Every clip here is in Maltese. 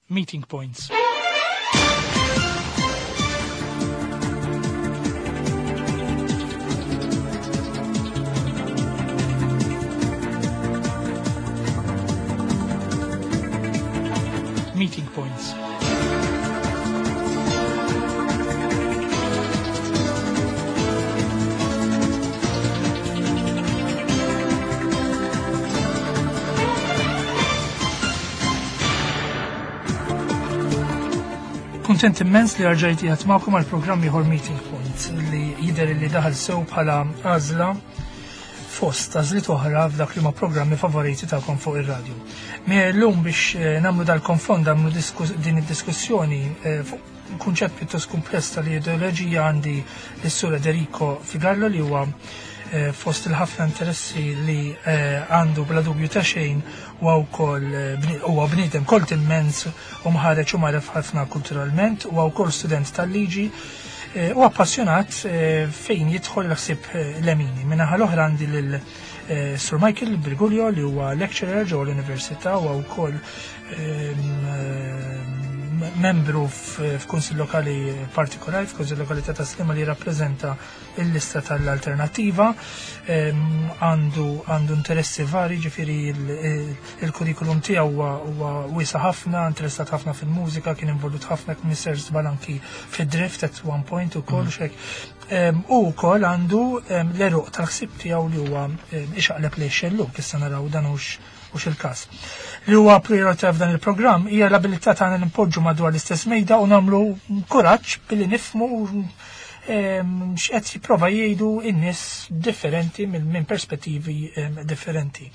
Meeting Points. Meeting Points. Kuntent immens li rġajt qiegħed magħkom għal programm ieħor Meeting Point li jidher li daħal sew bħala għażla fost għażliet oħra f'dak li ma programmi favoriti tagħkom fuq ir-radju. Llum biex eh, nagħmlu dal-konfond nagħmlu din id-diskussjoni eh, fuq kunċett pjuttost kumpless tal-ideoloġija għandi l-Sur Federico Figallo li huwa eh, fost il-ħafna interessi li eh, għandu bla dubju ta' xejn huwa wkoll eh, huwa bniedem kolt immens u mħareġ u magħref ħafna kulturalment, huwa wkoll student tal-liġi u appassjonat fejn jidħol l-ħsieb lemini. Min-naħa l-oħra għandi lil Sir Michael Briguglio li huwa lecturer ġewwa l-Università u wkoll ehm, membru f'kunsill lokali partikolari, f'kunsill lokali ta' Taslima li rappreżenta il-lista tal-alternativa, ehm, għandu għandu interessi vari, ġifiri il-kurrikulum tiegħu huwa wiesa ħafna, interessat ħafna fil-mużika, kien involut ħafna kien żbal anki fid-drift at one point ukoll mm. xek. Ehm, u wkoll għandu ehm, l-eruq tal-ħsieb tiegħu li huwa ixaqleb li xelluk, issa naraw dan hux mhux il-każ. Li huwa priorità f'dan il-programm hija l-abilità tagħna li npoġġu madwar l-istess mejda u nagħmlu kuraġġ billi nifhmu ehm, x'qed jipprova jgħidu n-nies differenti minn perspettivi ehm, differenti.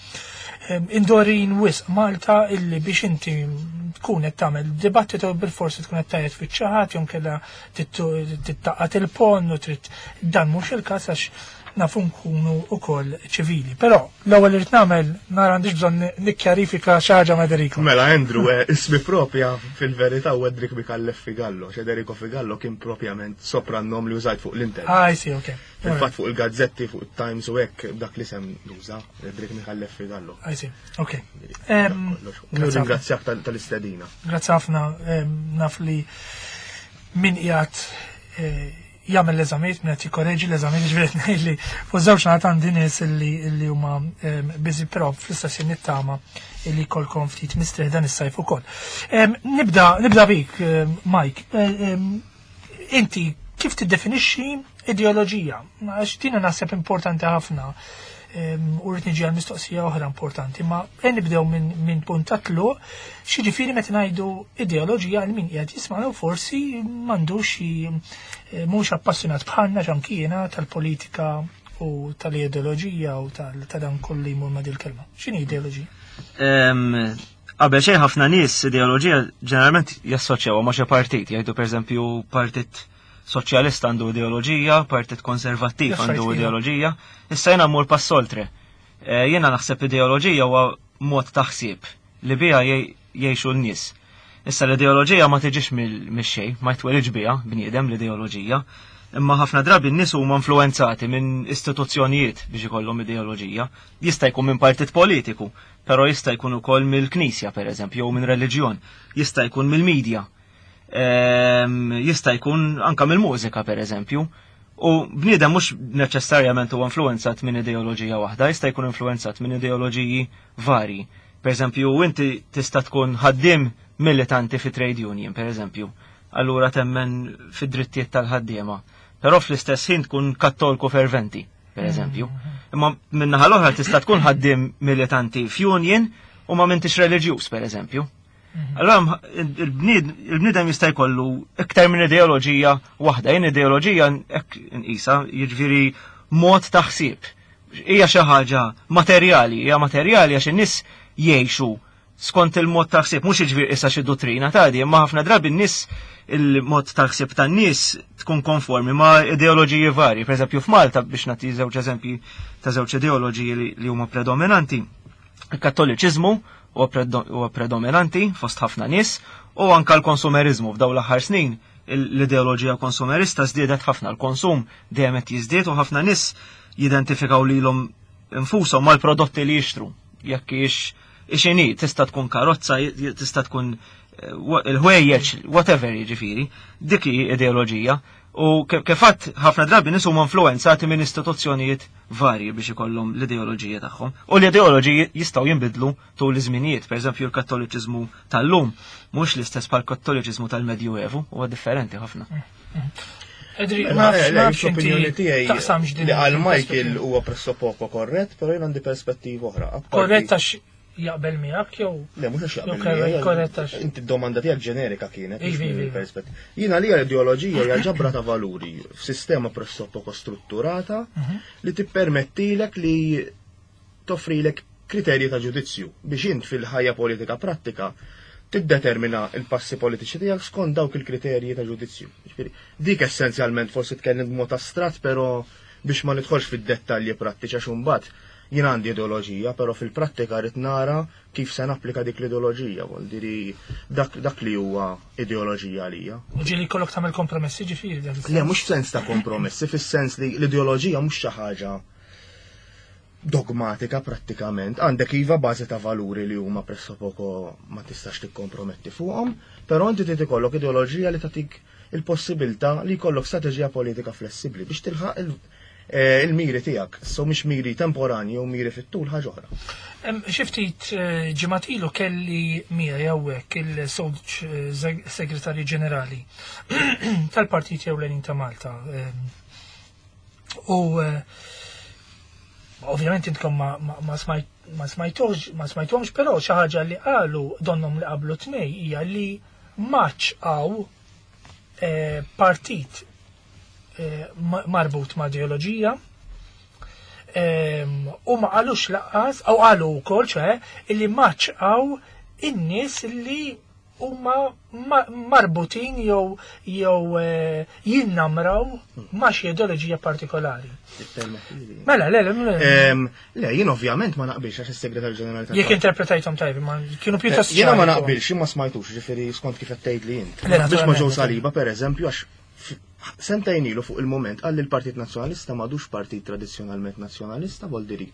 Ehm, indorin wisq Malta illi biex inti tkun qed tagħmel dibattitu bil-forsi tkun qed tajjed fiċ-ċaħat jew kellha tittaqqat il-pon u trid dan mhux il-każ għax nafu nkunu wkoll ċivili. Però l-ewwel irid nagħmel nara għandix bżonn nikkjarifika xi ħaġa ma' Federico. Mela Andrew, eh, ismi propja fil-verità u Edric Mikallef Figallo, Federico Figallo kien propjament soprannom li użajt fuq l-internet. Ah, I see, okay. Fil-fatt fuq il-gazzetti, fuq il-Times u hekk dak li sem nuża, Edric Mikallef Figallo. I see, okay. Ringrazzjak tal-istedina. Grazzi ħafna, naf li min qiegħed eh, jagħmel l-eżamijiet, min qed jikkoreġi l-eżamijiet, ġifieri ngħid li fuq żewġ naħat għandi nies illi huma ehm, busy però fl-istess ħin nittama illi jkollkom ftit mistrieħ dan is-sajf ukoll. Ehm, nibda nibda bik, ehm, Mike. Inti kif tiddefinixxi ideoloġija? Għax din naħseb importanti ħafna u rrid niġi għal mistoqsija oħra importanti, ma e nibdew minn punt ta' tluq, x'jiġifieri meta ngħidu ideoloġija għal min qiegħed jisma'na u forsi m'għandux xi eh, mhux appassjonat bħalna ġankiena tal-politika u tal-ideoloġija u ta' dan kollu jmur ma' dil-kelma. X'inhi ideoloġija? Qabel xejn ħafna nies ideoloġija ġeneralment jassoċjaw ma' xi partit, jgħidu pereżempju partit soċjalista għandu ideoloġija, partit konservattiv għandu iva. ideoloġija. Issa jiena mmur pass oltre. Eh, jiena naħseb ideoloġija huwa mod ta' ħsieb li biha jgħixu n-nies. Issa l-ideoloġija ma tiġix mix-xejn, ma jitwelidx biha bniedem l-ideoloġija, imma ħafna drabi n-nies huma influenzati minn istituzzjonijiet biex ikollhom ideoloġija. Jista' jkun minn partit politiku, però jista' jkun ukoll mill-knisja pereżempju jew minn reliġjon, jista' jkun mill-medja. Ehm, jista' jkun anka mill-mużika pereżempju. U bniedem mhux neċessarjament huwa influenzat minn ideoloġija waħda, jista' jkun influenzat minn ideoloġiji varji. Per eżempju, inti tista' tkun ħaddiem militanti fi trade union, per eżempju. Allura temmen fid-drittijiet tal-ħaddiema. Però fl-istess ħin tkun kattolku ferventi, per eżempju. Imma minnaħa l-oħra tista' tkun ħaddiem militanti f'union u ma m'intix reliġjuż, per eżempju. Mhm. Allora il-bniedem jista' jkollu iktar minn ideoloġija waħda, jien ideoloġija hekk nqisha, jiġifieri mod ta' ħsieb. Hija xi ħaġa materjali, hija materjali għax in-nies jgħixu skont il-mod ta' ħsieb, mhux jiġifieri issa xi dottrina ta' di, imma ħafna drabi n-nies il-mod ta' ħsieb tan-nies tkun konformi ma' ideoloġiji varji. Pereżempju f'Malta biex nagħti żewġ eżempji ta' żewġ ideoloġiji li huma predominanti. Il-Kattoliċiżmu huwa predominanti fost ħafna nies u anka l-konsumeriżmu f'dawn l-aħħar snin l-ideoloġija konsumerista żdiedet ħafna, l-konsum dejjem qed jiżdied u ħafna nies jidentifikaw lilhom infushom mal-prodotti li jixtru. Jekk hix ixini, tista' tkun karozza, tista' tkun il-ħwejjeġ, whatever jiġifieri, dik hi ideoloġija. U kif għedt ħafna drabi nies huma influenzati minn istituzzjonijiet varji biex ikollhom l-ideoloġija tagħhom. U l-ideoloġiji jistgħu jinbidlu tul iż-żminijiet. Pereżempju l-Kattoliċiżmu tal-lum mhux l-istess bħal kattoliċiżmu tal-Medjuevu, huwa differenti ħafna. Edri, Mela, ma nafx le, ma nafx l-opinjoni inti tiegħi taqsamx din li għal Michael il-perspettiva. huwa pressappoco korrett, però jien għandi perspettiva oħra. Apparti- Korrett għax jaqbel miegħek jew Le, mhux għax jaqbel Jew korrett- miegħi, korrett għax- Inti d-domanda tiegħek ġenerika kienet. mhux Ivi, minn ivi. perspettiva. Jiena li l-ideoloġija hija ġabra ta' valuri f'sistema pressappoco strutturata li tippermettilek li toffrilek kriterji ta' ġudizzju biex int fil-ħajja politika prattika tiddetermina il-passi politiċi tiegħek skont dawk il-kriterji ta' ġudizzju. Ġifieri, dik essenzjalment forsi tkellem b'mod astratt, però biex ma nidħolx fid-dettalji prattiċi għax imbagħad jien għandi ideoloġija, però fil-prattika rrid nara kif se napplika dik l-ideoloġija, vuol diri dak, dak li huwa ideoloġija għalija. u ġieli jkollok tagħmel kompromessi ġifieri dak Le, mhux f'sens ta' kompromessi, fis-sens li l-ideoloġija mhux xi ħaġa dogmatika prattikament. Għandek iva bażi ta' valuri li huma pressappoco ma tistax tikkomprometti fuqhom, però inti trid ikollok ideoloġija li tagħtik il-possibilità li jkollok strateġija politika flessibbli biex tilħaq il-miri tiegħek. So mhix miri temporanji u miri fit-tul ħaġa oħra. Xi ftit ġimgħat ilu kelli miegħi hawnhekk il-Sewġ Segretarju Ġenerali tal-Partit Ewlenin ta' Malta. U ovvjament intkom ma smajtux, ma smajtuhomx, però xi ħaġa li qalu donnom li qablu tnej hija li maċ għaw partit marbut ma' ideoloġija u ma qalux lanqas, u qalu wkoll ċe, illi maċ għaw in-nies li huma marbutin jew jinnamraw ma' xi ideoloġija partikolari. Mela, le, le, le. Le, jien ovvjament ma naqbilx għax is-Segretarju Ġenerali tal- Jekk interpretajthom tajb, ma kienu pjuttost Jiena ma ċari. naqbilx, jien ma smajtux, ġifieri skont kif qed tgħid li int. Le, Ma naqbilx ma' naturalment. Joe Saliba, per eżempju, għax sentejn ilu fuq il-moment qal li l-Partit Nazzjonalista m'għadux partit tradizzjonalment nazzjonalista, vuol diri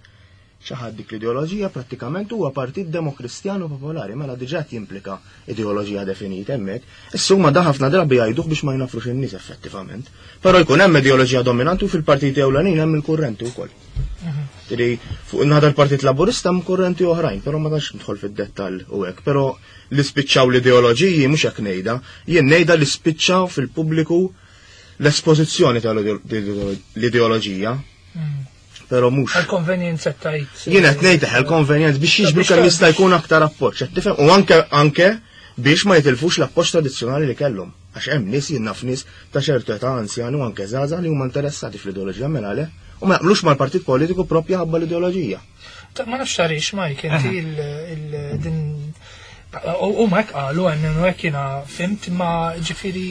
xi ħadd dik l-ideoloġija prattikament huwa partit demokristjanu popolari, mela diġà qed jimplika ideoloġija definita hemmhekk. Issa huma da ħafna drabi jgħiduh biex ma jnafrux in-nies effettivament. Però jkun hemm ideoloġija dominanti u fil-partiti ewlenin hemm il-kurrenti wkoll. Tiri, fuq in-naħa tal-Partit Laburista hemm kurrenti oħrajn, però ma tantx nidħol fid-dettall u hekk, però li spiċċaw l-ideoloġiji mhux hekk ngħidha, jien ngħidha li spiċċaw fil-pubbliku l-espożizzjoni tal-ideoloġija, però mhux. Għal-konvenjenza tajt. Jien qed ngħid il-konvenjenza biex jiġbru Biex kemm ta- jista' jkun aktar appoġġ, qed tifhem? U anke biex ma jitilfux l-appoġġ tradizzjonali li kellhom. Għax hemm nies jien naf nies ta' ċertu età anzjani u anke żgħażagħ li huma interessati fl-ideoloġija mela le u ma jaqblux mal-partit politiku propja ħabba l-ideoloġija. Ma nafx tarix, Mike, inti il-din. U ma hekk qalu għannu hekk jiena fhimt ma ġifieri.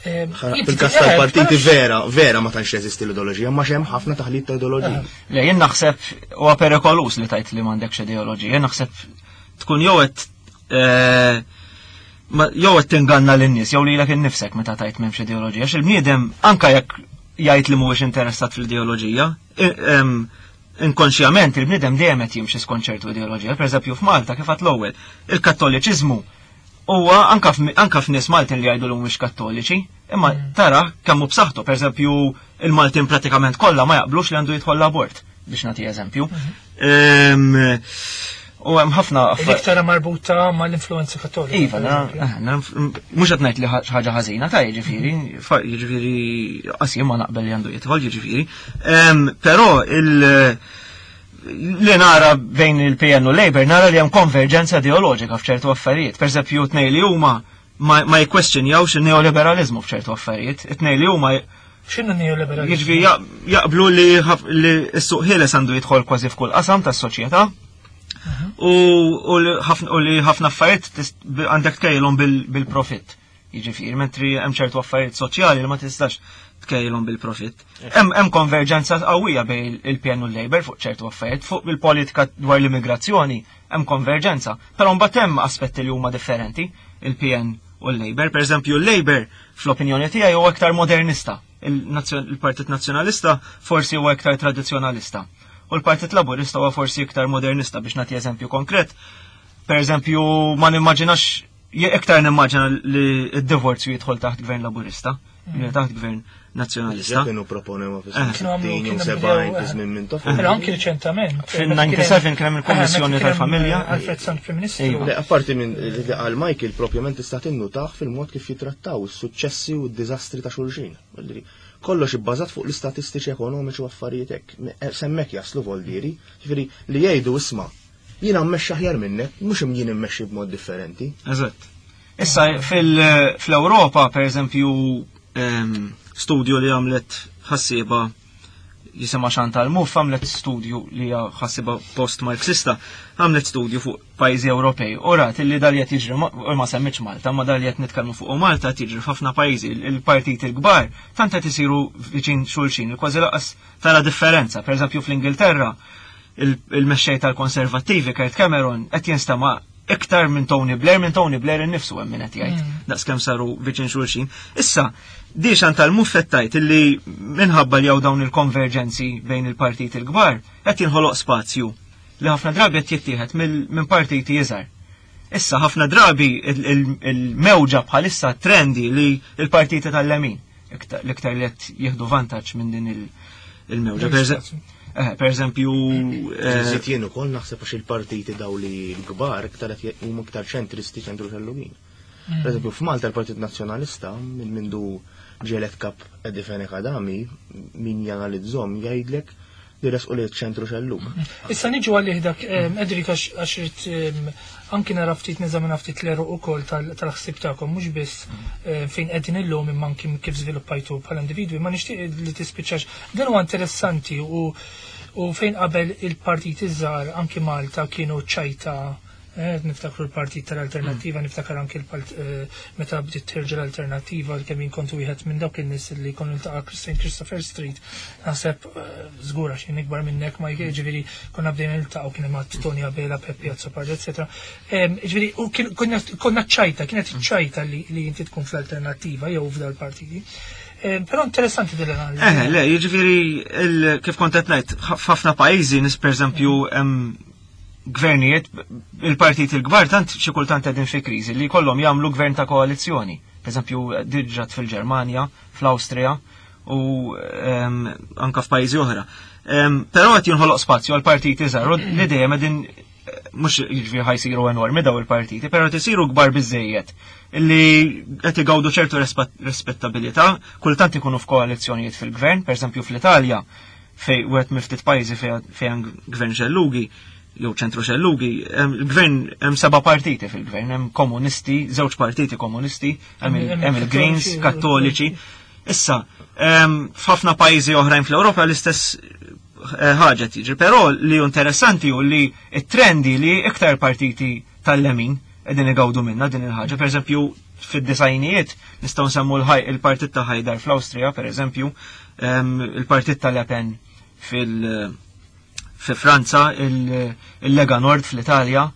Fil-kas tal-partiti vera, vera ma tantx jeżisti l-ideoloġija, ma hemm ħafna taħlit ta' ideoloġija. Le, jien naħseb huwa perikolus li tajt li m'għandekx ideoloġija. Jien naħseb tkun jew qed jew qed tinganna lin-nies jew lilek innifsek meta tajt m'hemmx ideoloġija. Għax il-bniedem anke jekk jgħid li mhuwiex interessat fl-ideoloġija, inkonxjament il-bniedem dejjem qed jimxi skont ċertu ideoloġija. Pereżempju f'Malta kif għedt l-ewwel, il-Kattoliċiżmu huwa anka f'nies Maltin li jgħidu li mhumiex kattoliċi, imma tara kemm hu b'saħħtu, pereżempju il-Maltin pratikament kollha ma jaqblux li għandu jidħol l-abort, biex nagħti eżempju. U hemm ħafna Dik tara marbuta mal-influenza kattolika. Iva, per eżempju. mhux qed ngħid li ħaġa ħażina ta' jiġifieri, jiġifieri qas jien ma naqbel li għandu jidħol jiġifieri. Però li nara bejn il-PN u Labour nara li hemm konverġenza ideoloġika f'ċertu affarijiet. Per eżempju, tnej li huma ma jikkwestjonjawx il-neoliberalizmu f'ċertu affarijiet. It-tnej li huma X'inhu neoliberalizmu? Jiġifieri jaqblu li s-suq ħieles għandu jidħol kważi f'kull qasam tas-soċjetà. U li ħafna affarijiet għandek tkejlhom bil-profitt. Jiġifieri, mentri hemm ċertu affarijiet soċjali li ma tistax tkejlhom bil-profitt. Hemm konverġenza qawwija bejn il-PN u l-Labour fuq ċertu affarijiet, fuq il-politika dwar l-immigrazzjoni hemm konverġenza. Però mbagħad hemm aspetti li huma differenti, il-PN u l-Labour. Per eżempju, l-Labour fl-opinjoni tiegħi huwa aktar modernista. Il-Partit Nazzjonalista forsi huwa iktar tradizzjonalista. U l-Partit Laburista huwa forsi iktar modernista biex nagħti eżempju konkret. Per eżempju, ma nimmaġinax Iktar nimmaġina li d-divorzju jidħol taħt gvern laburista, li taħt gvern nazzjonalista. Kienu proponew fis-60 u 70 fi żmien minn tofu. Però anki riċentament. Fin-97 kien hemm il-Kummissjoni tal-Familja. Alfred Sant Prim Ministru. Le, apparti minn li qal Michael propjament tista' tinnutah fil-mod kif jitrattaw is-suċċessi u d-diżastri ta' xulxin. Kollox ibbażat fuq l-istatistiċi ekonomiċi u affarijiet hekk. Semmek jaslu voldieri, ġifieri li jgħidu isma' jiena mmexxi aħjar minnek, mhux jien immexxi b'mod differenti. Eżatt. Issa fl-Ewropa, per eżempju, studju li għamlet ħassieba jisimha Chantal Mouffe għamlet studju li hija ħassiba post-Marxista, għamlet studju fuq pajjiżi Ewropej. U rat li dal qed jiġri u ma semmitx Malta, ma dal qed nitkellmu fuq Malta qed jiġri f'ħafna pajjiżi, il-partiti l-kbar tant qed isiru viċin xulxin, kważi laqas tara differenza. Per eżempju fl-Ingilterra, il-mexxej tal-Konservattivi Kurt Cameron qed jinstema' iktar minn Tony Blair, minn Tony Blair innifsu hemm min qed jgħid, daqskemm saru viċin xulxin. Issa, di Chantal Mouffe tajt illi minħabba li hawn dawn il-konverġenzi bejn il-partiti l-kbar, qed jinħoloq spazju li ħafna drabi qed jittieħed minn partiti iżgħar. Issa ħafna drabi il-mewġa bħalissa trendi li il-partiti tal-lemin l-iktar li qed jieħdu vantaġġ minn din il-mewġa. Per eżempju, Żid jien ukoll naħseb għax il-partiti daw li l-kbar iktar qed huma iktar ċentristi ċentru xellugin. Per eżempju, f'Malta l-Partit Nazzjonalista minn mindu ġelet kap Eddie Fenech Adami min janalizzhom jgħidlek li resqu li ċentru xellug. Issa niġu għalih dak, Edric, għax irrid anki nara ftit neżamina ftit l-għeruq ukoll tal-ħsieb tagħkom, mhux biss fejn qegħdin illum imma anki kif żviluppajtu bħala individwi, ma nixtieq li tispiċċax. Dan huwa interessanti u fejn qabel il-partiti żgħar anki Malta kienu ċajta, niftakru l-partit tal-Alternattiva, niftakar anki meta bdiet terġa' l-Alternattiva, kemm jien kont wieħed minn dawk in-nies li konu niltaqa' St. Christopher Street, naħseb żgur għax jien ikbar minnek ma jiġifieri konna bdejna niltaqgħu kien hemm Tony Abela, Peppi Azzopardi, eccetera. Jiġifieri, u konna ċajta, kienet ċajta li inti tkun fl-Alternattiva jew f'dal-partiti. Però interessanti din l-analiżi. Le, jiġifieri kif kont qed ngħid, f'ħafna pajjiżi nis pereżempju hemm gvernijiet, il-partiti l-kbar tant xi kultant qegħdin fi kriżi li jkollhom jagħmlu gvern ta' koalizzjoni. Per eżempju, diġà fil-Ġermanja, fl-Awstrija u anka f'pajjiżi oħra. Però qed jinħoloq spazju għal partiti żgħar u li dejjem qegħdin mhux jiġifieri ħajsiru enormi daw il-partiti, però qed isiru kbar biżejjed li qed igawdu ċertu rispettabilità, kultant ikunu f'koalizzjonijiet fil-gvern, per eżempju fl-Italja, fej wieħed mill-ftit pajjiżi fejn gvern xellugi, jew ċentru xellugi, il-gvern hemm 7 partiti fil-gvern, hemm komunisti, żewġ partiti komunisti, hemm il-Greens, Kattoliċi. Issa, f'ħafna pajjiżi oħrajn fl-Ewropa l-istess ħaġa tiġri, però li hu interessanti hu li t-trendi li iktar partiti tal-lemin qegħdin igawdu minna din il-ħaġa. Per eżempju, fid-disajnijiet nistgħu nsemmu il-partit ta' Haider fl-Awstrija, per eżempju, il-partit ta' Le Pen fi Franza, il-Lega Nord fl-Italja.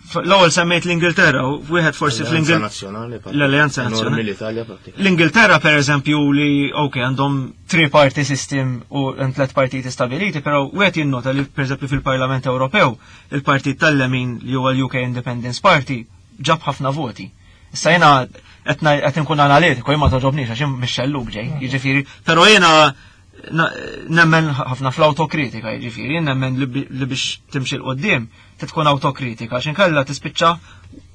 L-ewwel semmejt l-Ingilterra, u wieħed forsi L-Alleanza fl-Ingil- Nazzjonali, pa- l-Alleanza Enormi Nazzjonali. l-Italja pratikament. L-Ingilterra, per eżempju, li, ok, għandhom three-party system u hemm tliet partiti stabiliti, però wieħed jinnota li, per eżempju, fil-Parlament Ewropew, il-partit tal-lemin li huwa l-UK Independence Party ġab ħafna voti. Issa jiena qed inkun analitiku, jien ma toġobniex għax jien mix-xellug ġej, jiġifieri, però jiena nemmen ħafna fl-autokritika, jiġifieri, nemmen li biex timxi 'l quddiem tkun autokritika, għax inkella tispiċċa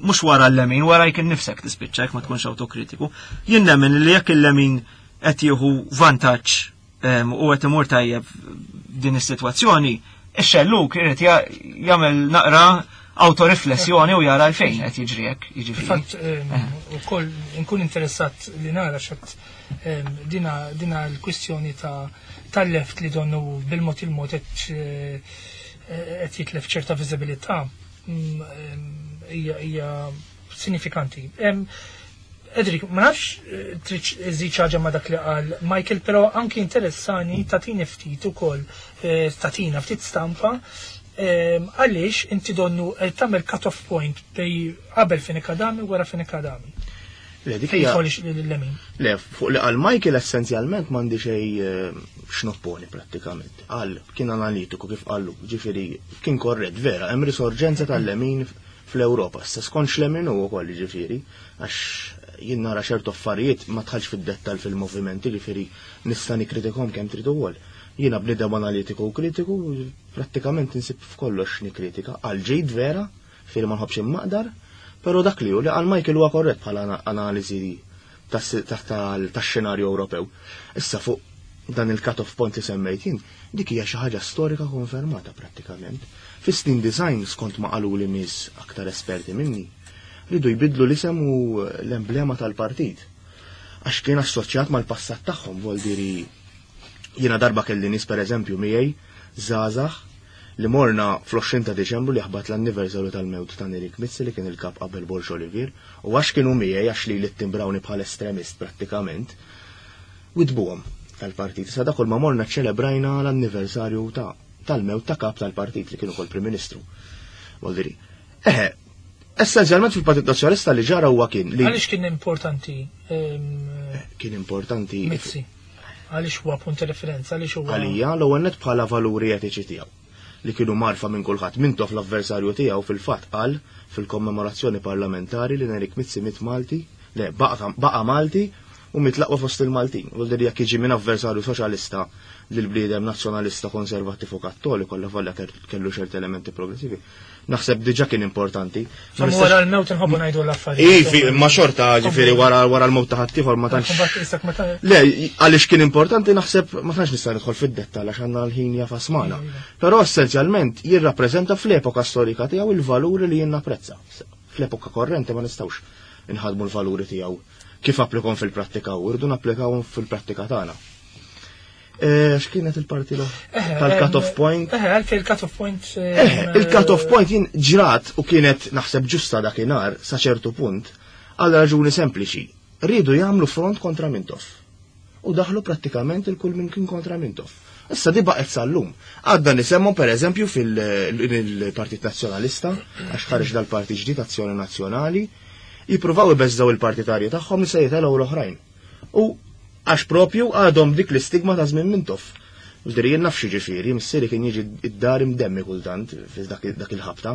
mhux wara l-lemin, wara jkun nifsek tispiċċa jekk ma tkunx autokritiku. Jien nemmen li jekk il-lemin qed jieħu vantaġġ u qed imur tajjeb din is-sitwazzjoni, ix-xellug irid jagħmel naqra autoriflessjoni u jara l-fejn qed jiġri hekk, jiġifieri. Fatt, ukoll inkun interessat li nara x'qed dina l-kwistjoni tal-left li donnu bil-mod il-mod qed jitlef ċerta viżibilità, hija sinifikanti. Edric, ma nafx trid iżid ħaġa ma dak li qal Michael, però anki interessani tatini ftit ukoll, tatina ftit stampa, għaliex inti donnu tagħmel cut-off point bej qabel Fenech Adami u wara Fenech Adami. Le, dik Fejn hija jidħol l-lemin. Le, fuq li qal Michael essenzjalment m'għandi xejn x'nopponi prattikament. Qal kien analitiku kif qallu, ġifieri kien korrett vera, hemm risorġenza tal-lemin fl-Ewropa. Issa skont x'lemin hu wkoll jiġifieri, għax jien nara ċertu affarijiet ma dħalx fid-dettall fil-movimenti, jiġifieri nista' nikkritikhom kemm trid ukoll. Jiena bniedem analitiku u kritiku, prattikament insib f'kollox nikkritika, għal ġid vera, jiġifieri ma nħobbx immaqdar, però dak li hu li qal Michael huwa korrett bħala analiżi tax-xenarju Ewropew. Issa fuq dan il-cut-off point li semmejt jien, dik hija xi ħaġa storika konfermata prattikament. Fis-snin design, skont ma qaluli nies aktar esperti minni, ridu jbidlu l-isem u l-emblema tal-partit. Għax kien assoċjat mal-passat tagħhom, vuol diri jiena darba kelli nies pereżempju miegħi żgħażagħ li morna fl-20 ta' Diċembru li ħabat l-anniversarju tal-mewt ta' Nerik Mizzi li kien il-kap qabel Borg Olivier, u għax kienu miegħi għax li li bħal estremist prattikament, widbuhom tal-partit. Sa dakol ma morna ċelebrajna l-anniversarju ta' tal-mewt ta' kap tal-partit li kienu kol Prim Ministru. Voldiri. Eħe, essenzjalment fil-Partit Nazzjonalista li ġara huwa kien li Għaliex kien importanti kien importanti Mizzi? Għaliex huwa punt ta' referenza, għaliex huwa għalija l-ewwel nett bħala valuri etiċi tiegħu li kienu marfa minn kulħadd. Mintoff l-avversarju tiegħu fil-fatt qal fil-kommemorazzjoni parlamentari li Nerik Mizzi miet Malti, le baqa' Malti u miet l-aqwa fost il-Maltin. Vuol dire jekk jiġi minn avversarju soċjalista lil bniedem nazzjonalista konservattiv u kattoliku, alla volja kellu ċerti elementi progressivi. Naħseb diġà kien importanti. Ma nistax- wara l-mewt inħobbu ngħidu l-affarijiet. Ivi, ma xorta ġifieri wara wara l-mewt ta' ħaddieħor ma tantx. Mbagħad isek meta Le, għaliex kien importanti naħseb ma tantx nista' nidħol fid-dettall għax għandna l-ħin jafas magħna. Però essenzjalment jirrappreżenta fl-epoka storika tiegħu il-valuri li jien napprezza. Fl-epoka korrenti ma nistgħux inħadmu l-valuri tiegħu kif applikom fil-prattika u rridu napplikawhom fil-prattika tagħna. X'kienet il-parti l tal-cut-off point? Eħe, għalfejn il-cut-off point. Eħe, il-cut-off point jien ġrat u kienet naħseb ġusta dakinhar sa ċertu punt għal raġuni sempliċi. Riedu jagħmlu front kontra Mintoff. U daħlu prattikament il-kull minn kien kontra Mintoff. Issa di baqgħet sal-lum. Għadda nisemmu per eżempju fil-Partit Nazzjonalista, għax ħareġ dal-Partit ġdid Azzjoni Nazzjonali, jippruvaw ibeżżaw il-partitarji tagħhom li se jitelgħu l-oħrajn. U għax propju għadhom dik l-istigma ta' żmien Mintoff. Diri jien naf ġifieri, missieri kien jiġi id-dar imdemmi kultant fi dak il-ħabta.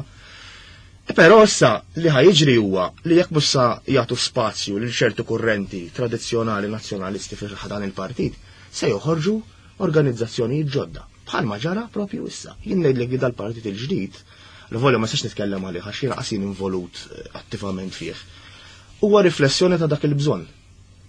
Però issa li ħa jiġri huwa li jekk mhux sa jagħtu spazju lil ċertu kurrenti tradizzjonali nazzjonalisti fi dan il-partit, se joħorġu organizzazzjonijiet ġodda. Bħalma ġara propju issa. Jien ngħidlek li dal-partit il-ġdid, l volja ma nistax nitkellem għalih għax jiena qas jien involut attivament fih. Huwa riflessjoni ta' dak il-bżonn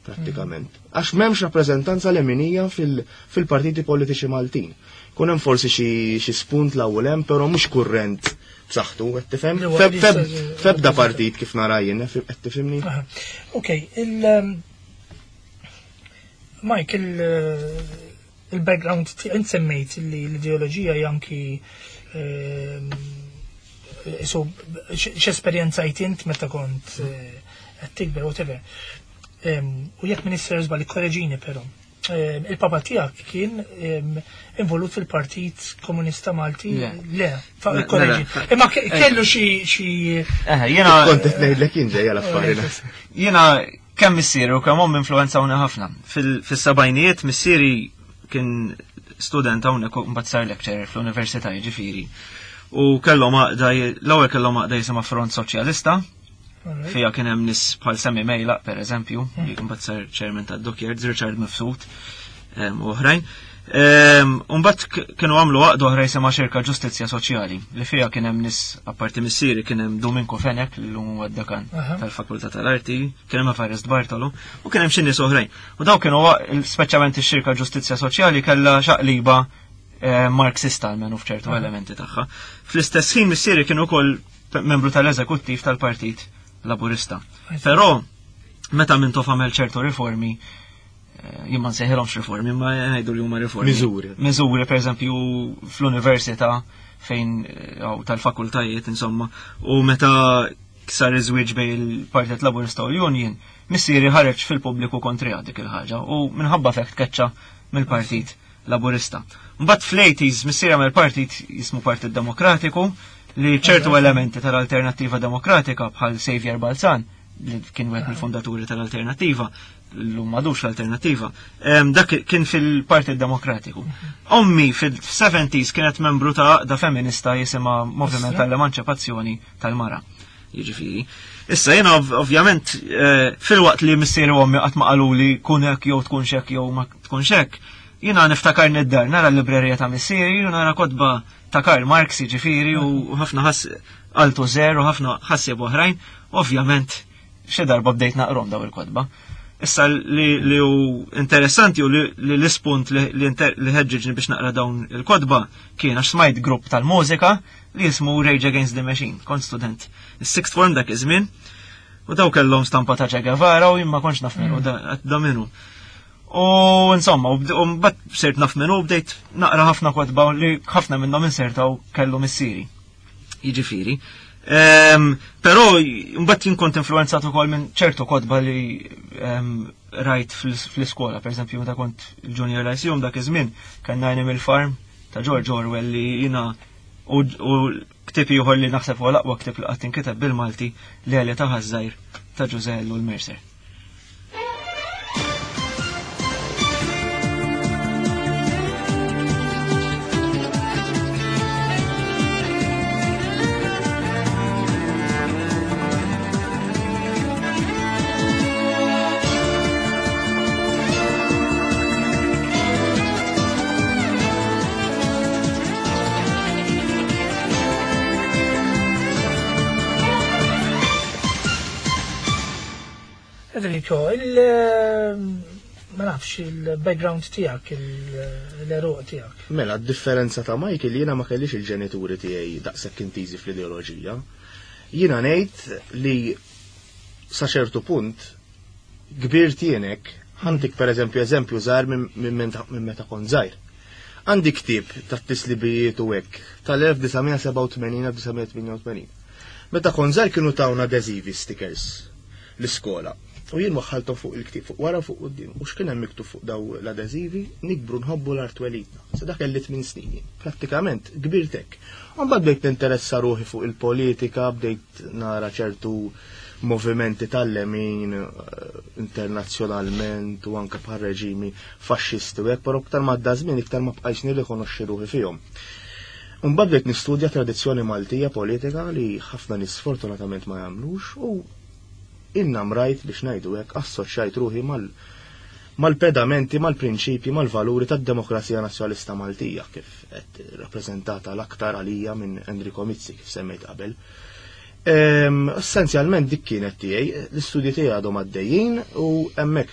prattikament. Għax m'hemmx rappreżentanza leminija fil-partiti politiċi Maltin. Kun hemm forsi xi spunt l-ewwel hemm, però mhux kurrent b'saħħtu, qed tifhem? Li huwa li jista' Febda partit kif nara jien, qed tifhimni? Aha. Ok, Mike, il-background int semmejt li l-ideoloġija hija anki so x'esperjenzajt int meta kont qed tikber, whatever. U jekk Minister żball ikkoreġini però. Il-papa tiegħek kien involut fil-Partit Komunista Malti? Le. Le, fa' Le, ikkoreġi. le, le. Imma kellu xi Eħe, jiena Kont qed ngħidlek jien ġejja l-affari naħseb. Jiena kemm missieri u kemm ommi influenzawni ħafna. Fis-sebgħinijiet missieri kien student hawnhekk u mbagħad sar lecturer fl-università jiġifieri. U kellhom għaqda l-ewwel kellhom għaqda jisimha Front Soċjalista. Fija kien hemm nies bħal Sammy Mejlaq, per eżempju, li mbagħad sar chairman tad-Dockyards, Richard Mifsud, u oħrajn. U mbagħad kienu għamlu għaqda oħra jisimha Xirka Ġustizzja Soċjali, li fija kien hemm nies apparti missieri kien hemm Domingo Fenech, li llum huwa d-dekan tal-Fakultà tal-Arti, kien hemm Evarist Bartolo, u kien hemm xi nies oħrajn. U daw kienu speċjalment ix-Xirka Ġustizzja Soċjali kellha xaqliba Marxista almenu f'ċertu elementi tagħha. Fl-istess ħin missieri kien ukoll membru tal-eżekuttiv tal-Partit Laburista. Però meta Mintoff għamel ċertu riformi, jien ma nsejħilhomx riformi, ma ngħidu li huma riformi. Miżuri. Miżuri, per eżempju, fl-università fejn hawn tal-fakultajiet, insomma, u meta sar iż-żwieġ bejn il-Partit Laburista u l-Union, missieri ħareġ fil-pubbliku kontra dik il-ħaġa u minħabba fekt keċċa mill-Partit Laburista. Mbagħad fl-80s missieri għamel partit jismu Partit Demokratiku li ċertu elementi tal-Alternattiva Demokratika bħal Xavier Balzan, li kien wieħed mill-fondaturi tal-Alternattiva, l-lum madux l-Alternattiva, dak kien fil-Partit Demokratiku. Ommi fil-70s kienet membru ta' għaqda feminista jisimha Moviment tal-Emanċipazzjoni tal-Mara. Jiġifieri. Issa jiena ovvjament eh, filwaqt li missieri u ommi qatt ma qaluli kun hekk jew tkun hekk jew ma tkunx hekk, jiena niftakar nid-dar nara l-librerija ta' missieri u nara kotba ta' Karl Marx jiġifieri u ħafna ħass Althusser u ħafna ħassieb oħrajn, ovvjament xi darba bdejt naqrom daw il-kotba. Issa li, li hu interessanti u li, li l-ispunt li, li, li ħeġġiġni biex naqra dawn il-kotba kien għax smajt grupp tal-mużika li jismu Rage Against the Machine, kont student. Is-sixth form dak iż-żmien, u daw kellhom stampa ta' Che Guevara u jien ma kontx naf minnu da, da minnu. U insomma, u mbagħad sirt naf minnu u bdejt naqra ħafna kotba li ħafna minnhom insertaw kellu missieri. Jiġifieri. Ehm, però mbagħad jien kont influenzat ukoll minn ċertu kotba li ehm, rajt fl-iskola, pereżempju meta kont il-Junior Lyceum dak iż-żmien kellna Animal Farm ta' George Orwell li jiena u ktieb ieħor li naħseb huwa l-aqwa ktieb li qatt inkiteb bil-Malti l-Għelja ta' Ħaż-Żgħir ta' Ġużè Ellul Mercer. Enrico, il ma nafx il-background tiegħek, l-eruq tiegħek. Mela, d-differenza ta' Michael jiena ma kellix il-ġenituri tiegħi daqshekk intiżi fl-ideoloġija. Jiena ngħid li sa ċertu punt kbir tienek, ħantik pereżempju eżempju żgħar minn meta kont żgħir. Għandi ktieb tat-tislibijiet u hekk tal-1987-1988. Meta kont żgħir kienu tawna adeżivi stickers l-iskola. U jien waħħalthom fuq il-ktieb fuq wara fuq quddiem. U x'kien hemm miktub fuq daw l-adeżivi? Nikbru nħobbu l-art twelidna. Sa dak kelli tmien snin jien. Prattikament kbirt hekk. U mbagħad bdejt ninteressa ruħi fuq il-politika, bdejt nara ċertu movimenti tal-lemin eh, internazzjonalment u anke bħal reġimi faxxisti u hekk, però iktar ma għadda żmien iktar ma bqajtx nirrikonoxxi ruħi fihom. Mbagħad bdejt nistudja tradizzjoni Maltija politika li ħafna nies sfortunatament ma jagħmlux u innamrajt biex ngħidu hekk assoċjajt ruħi mal mal-pedamenti, mal-prinċipji, mal-valuri tad-demokrazija nazzjonalista Maltija kif qed rappreżentata l-aktar għalija minn Enrico Mizzi kif semmejt qabel. Essenzjalment dik kienet tiegħi, l-istudji tiegħi għadhom għaddejjin u hemmhekk